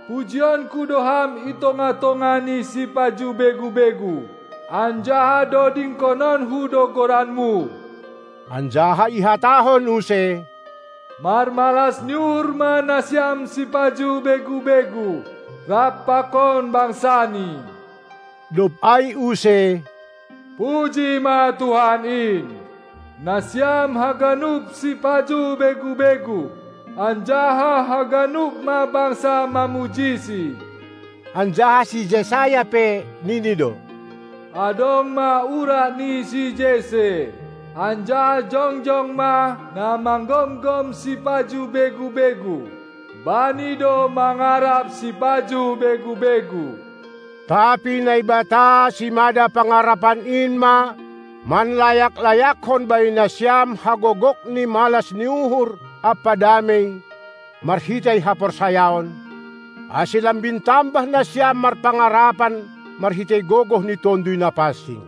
pujionku do ham i tongah-tongah ni sipajuh begu-begu, anjaha dodingkononhu do goranmu. Anjaha ihatahon use, marmalas ni uhur ma nasiam sipajuh begu-begu, rap pakon bangsani. Dob ai use, puji ma Tuhan in. Nasiam haganup sipajuh begu-begu, anjaha haganup ma bangsa mamujisi. Anjaha si Jesaya pe nini do, adong ma urat ni si Jese, anjaha jongjong ma na manggomgom sipajuh begu-begu. Bani do mangarap sipajuh begu-begu. Tapi Naibata simada pangarapan in ma manlayak-layakhon bani nasiam hagogok ni malas ni uhur ampa damei, marhitei haporsayaon, ase lambin tambah nasiam marpangarapan marhitei gogoh ni Tonduy Napansing.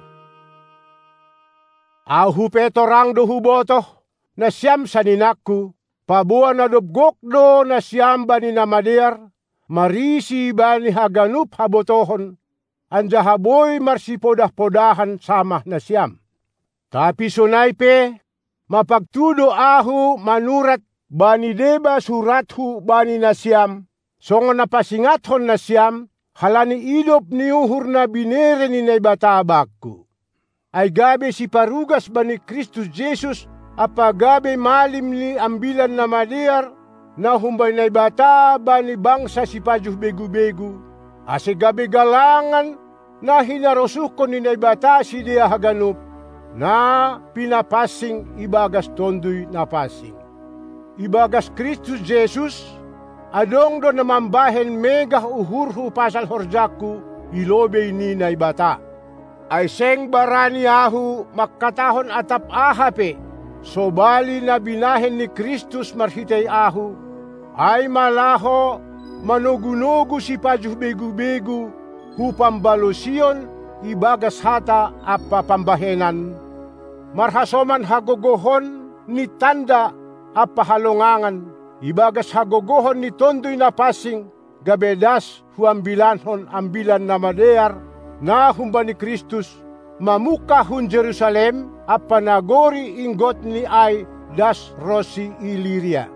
Ahu pe torang do hubotoh, nasiam saninangku, paboa na dob gok do nasiam bani na madear, marisi bani haganup habotohon, anjaha boi marsipodah-podahan samah nasiam. Tapi sonai pe, mapagtu do ahu manurat bani deba surathu bani nasiam, songon na pasingathon nasiam, halani idop ni uhur na binere ni Naibata bakku. ai gabe siparugas bani Kristus Jesus ampa gabe malim ni Ambilan Namadear na humbani Naibata bani bangsa sipajuh begu-begu, ase gabe galangan na hinarosuhkon ni Naibata sidea haganup, na pinapansing ibagas Tonduy Napansing. Ibagas Kristus Jesus, adong do na mambahen megah uhurhu pasal horjangku i lobei ni Naibata. Ai seng barani ahu mangkatahon atap aha pe, sobali na binahen ni Kristus marhitei ahu, ai ma laho manogu-nogu sipajuh begu-begu hu pambalosion ibagas hata ampa pambahenan, marhasoman hagogohon ni tanda ampa halongangan, ibagas hagogohon ni Tonduy Napansing, gabe das huambilankon Ambilan Namadear na humbani Kristus, mamungkah hun Jerusalem ampa nagori inggotni ai das ronsi Iliria.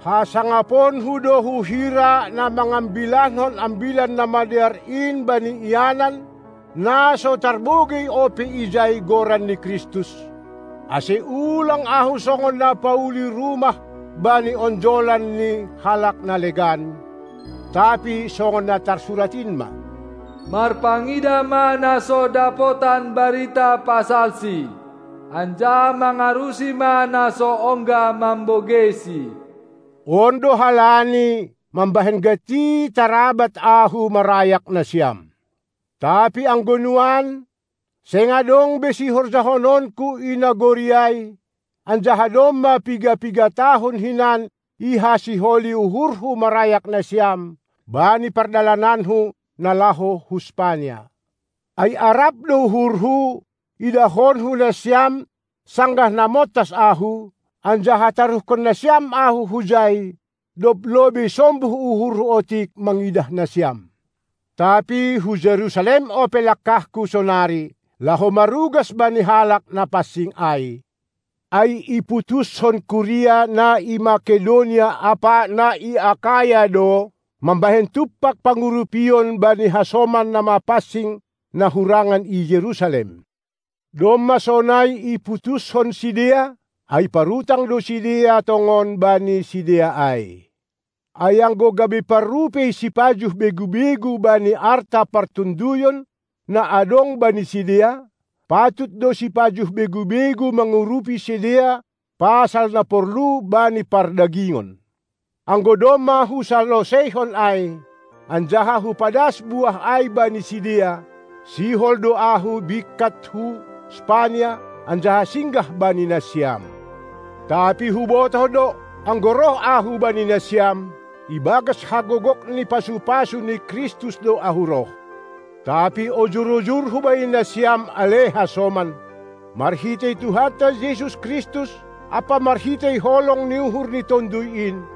Hasangaponhu do hu hira na mangambilankon Ambilan Namadear in bani ianan, na so tarbogei ope ijai goran ni Kristus, ase ulang ahu songon na pauli rumah bani onjolan ni halak na legan, tapi songon na tarsurat in ma: Marpangidah ma na so dapotan barita pasalsi, anjaha mangarusi ma na so ongga mambogeisi. On do halani mambahen gati tarabat ahu marayak nasiam. Tapi anggo nuan, seng adong be sihorjahononku i nagori ai, anjaha domma piga-piga tahun hinan ihasiholi uhurhu marayak nasiam bani pardalananhu na laho hu Spania. Ai arap do uhurhu idahonhu nasiam sanggah na montas ahu, anjaha taruhkon nasiam ahu hujai, dob lobei sombuh uhurhu otik mangidah nasiam. Tapi hu Jerusalem ope langkahku sonari, laho marugas bani halak na pansing ai. Ai iputushon kuria na i Makedonia ampa na i Akaya do mambahen tumpak pangurupion bani hasoman na mapansing na hurangan i Jerusalem. Domma sonai iputushon sidea, ai parutang do sidea tongon bani sidea ai. Ai anggo gabe parrupei sipajuh begu-begu bani arta partonduyon na adong bani sidea, patut do sipajuh begu-begu mangurupi sidea pasal na porlu bani pardagingon. Anggo domma husaloseihon ai, anjaha hupadas buah ai bani sidea, sihol do ahu bingkat hu Spania, anjaha singgah bani nasiam. Tapi hubotoh do, anggo roh ahu bani nasiam, ibagas hagogok ni pasu-pasu ni Kristus do ahu roh. Tapi ojur-ojurhu bani nasiam ale hasoman, marhitei Tuhanta Jesus Kristus ampa marhitei holong ni uhur ni Tonduy in,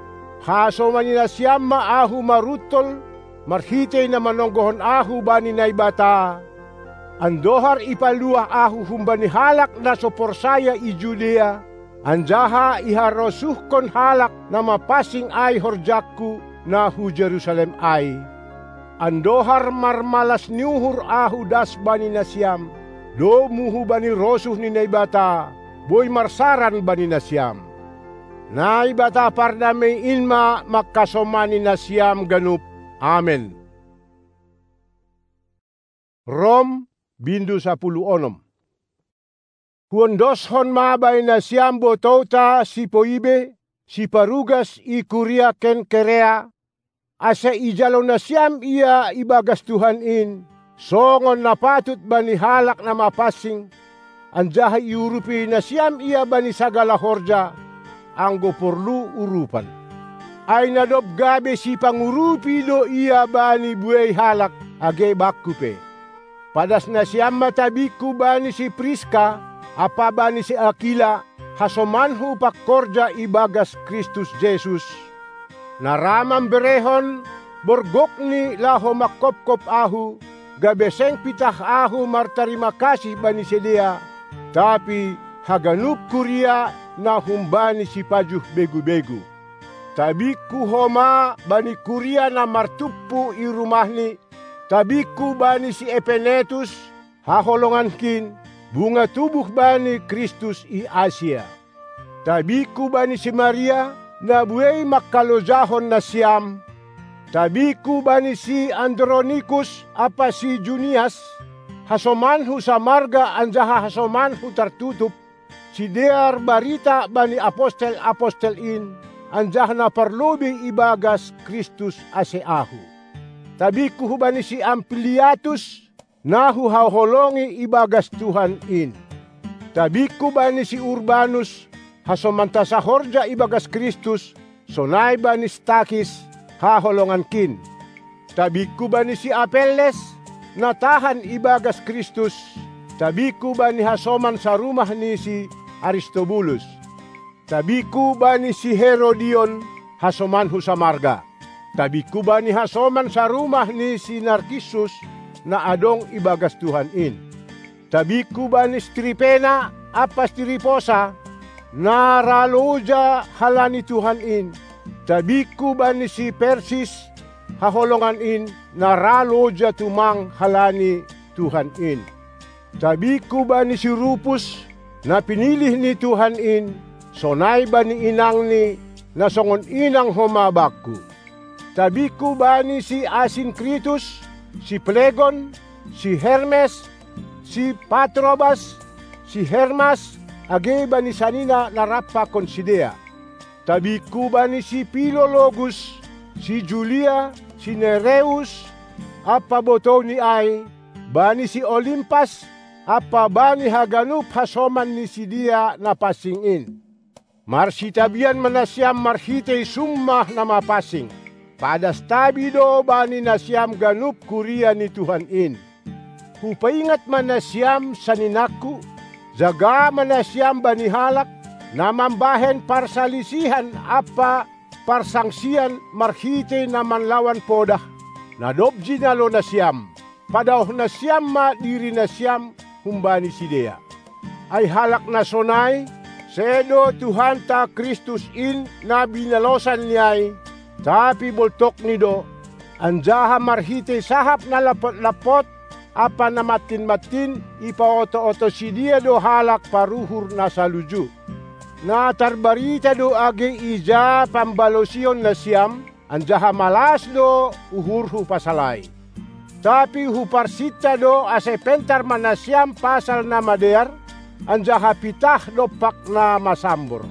hasomani nasiam ma ahu maruntol marhitei na manonggohon ahu bani Naibata, andohar ipaluah ahu humbani halak na so porsaya i Judea, anjaha iharosuhkon halak na mapansing ai horjangku na hu Jerusalem ai. Andohar marmalas ni uhur ahu das bani nasiam, domu hubani rosuh ni Naibata, boi marsaran bani nasiam. Naibata pardamei in ma mangkasomani nasiam ganup. Amen. Rom, bindu sapuluh onom. Huondoshon ma bani nasiam botouta si Poibe, siparugas i kuria Kenkerea, ase ijalo nasiam ia ibagas Tuhan in, songon na patut bani halak na mapansing, anjaha iurupi nasiam ia bani sagala horja, anggo porlu urupan. Ai na dob gabe sipangurupi do ia bani buei halak, age bakku pe. Padas nasiam ma tabingku bani si Priska ampa bani si Akila, hasomanhu pangkorja ibagas Kristus Jesus, na ra mamberehon borgokni laho mangkopkop ahu, gabe seng pitah ahu martarima kasih bani sidea, tapi haganup kuria na humbani sipajuh begu-begu. Tabingku homa bani kuria na martumpu i rumahni, tabingku bani si Epenetus, haholongankin, bunga tubuh bani Kristus i Asia. Tabingku bani si Maria, na buei mangkalojahon nasiam. Tabingku bani si Andronikus ampa si Junias, hasomanhu samarga anjaha hasomanhu tartutup, sidear barita bani apostel-apostel in, anjaha na parlobei ibagas Kristus ase ahu. Tabingku hubani si Ampliatus, na huhaholongi ibagas Tuhan in. Tabingku bani si Urbanus, hasomanta sahorja ibagas Kristus, sonai bani si Takis, haholongankin. Tabingku bani si Apelles, na tahan ibagas Kristus. Tabingku bani hasoman sarumah ni si Aristobulus. Tabingku bani si Herodion, hasomanhu samarga. Tabingku bani hasoman sarumah ni si Narkisus, na adong ibagas Tuhan in. Tabingku bani si Tripena ampa si Triposa, na ra loja halani Tuhan in. Tabingku bani si Persis, haholongan in, na ra loja tumang halani Tuhan in. Tabingku bani si Rupus, na pinilih ni Tuhan in, sonai bani inangni, na songon inang homa bakku. Tabingku bani si Asinkritus, si Plegon, si Hermes, si Patrobas, si Hermas, age bani sanina na rap pakon sidea. Tabingku bani si Pilologus, si Julia, si Nereus, ampa botouni ai, bani si Olimpas, ampa bani haganup hasoman ni sidea na pansing in. Marsitabian ma nasiam marhitei sumpah na mapansing. Padas tabi do bani nasiam ganup kuria ni Tuhan in. Hupaingat ma nasiam saninangku, jaga ma nasiam bani halak, na mambahen parsalisihan ampa parsangsian marhitei na manlawan podah, na dob jinalo nasiam. Padaoh nasiam ma diri nasiam humbani sidea. Ai halak na sonai, sedo Tuhanta Kristus in na binalosan ni ai, tapi boltokni do, anjaha marhitei sahap na lampot-lampot ampa na mantin-mantin ipaoto-oto sidea do halak paruhur na saluju. Na tarbarita do age ija pambalosion nasiam, anjaha malas do uhurhu pasal ai. Tapi huparsinta do ase pentar ma nasiam pasal na madear, anjaha pitah dompak na masambor.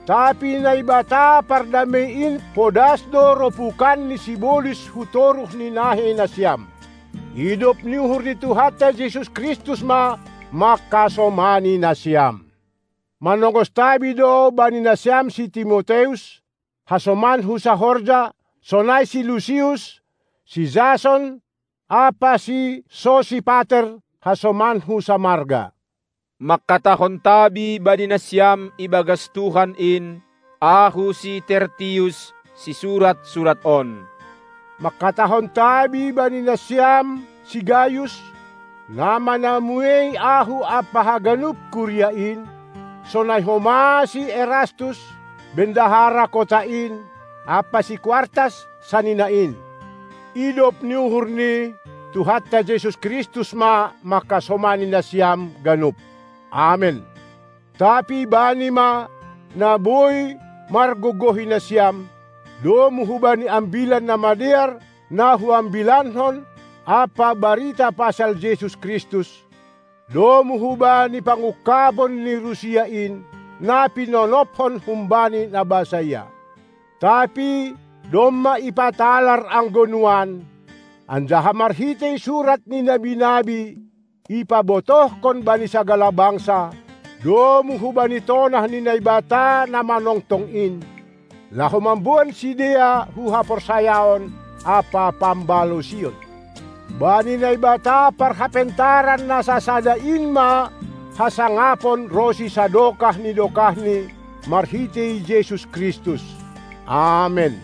Tapi Naibata pardamei in podas do ropukan ni sibolis hu toruh ni nahei nasiam. Idop ni uhur ni Tuhanta Jesus Kristus ma mangkasomani nasiam. Manongos tabi do bani nasiam si Timoteus, hasomanhu sahorja, sonai si Lusius, si Jason, ampa si Sosipater, hasomanhu samarga. Mangkatahon tabi bani nasiam ibagas Tuhan in, ahu si Tertius, sisurat surat on. Mangkatahon tabi bani nasiam si Gayus, na manamuei ahu ampa haganup kuria in, sonai homa si Erastus, bendahara kota in, ampa si Kuartas, sanina in. Idop ni uhur ni Tuhanta Jesus Kristus ma mangkasomani nasiam ganup. Amen. Tapi bani ma, na boi margogohi nasiam, domu hubani ambilan na madear na huambilankon ampa barita pasal Jesus Kristus, domu hubani pangungkapon ni rusia in, na pinonophon humbani na basa ia. Tapi domma ipatalar anggo nuan, anjaha marhitei surat ni nabi-nabi, ipabotohkon bani sagala bangsa, domu hubani tonah ni Naibata na manongtong in, laho mamboan sidea hu haporsayaon ampa pambalosion. Bani Naibata parhapentaran na sasada in ma hasangapon ronsi sadokah ni dokahni marhitei Jesus Kristus. Amen.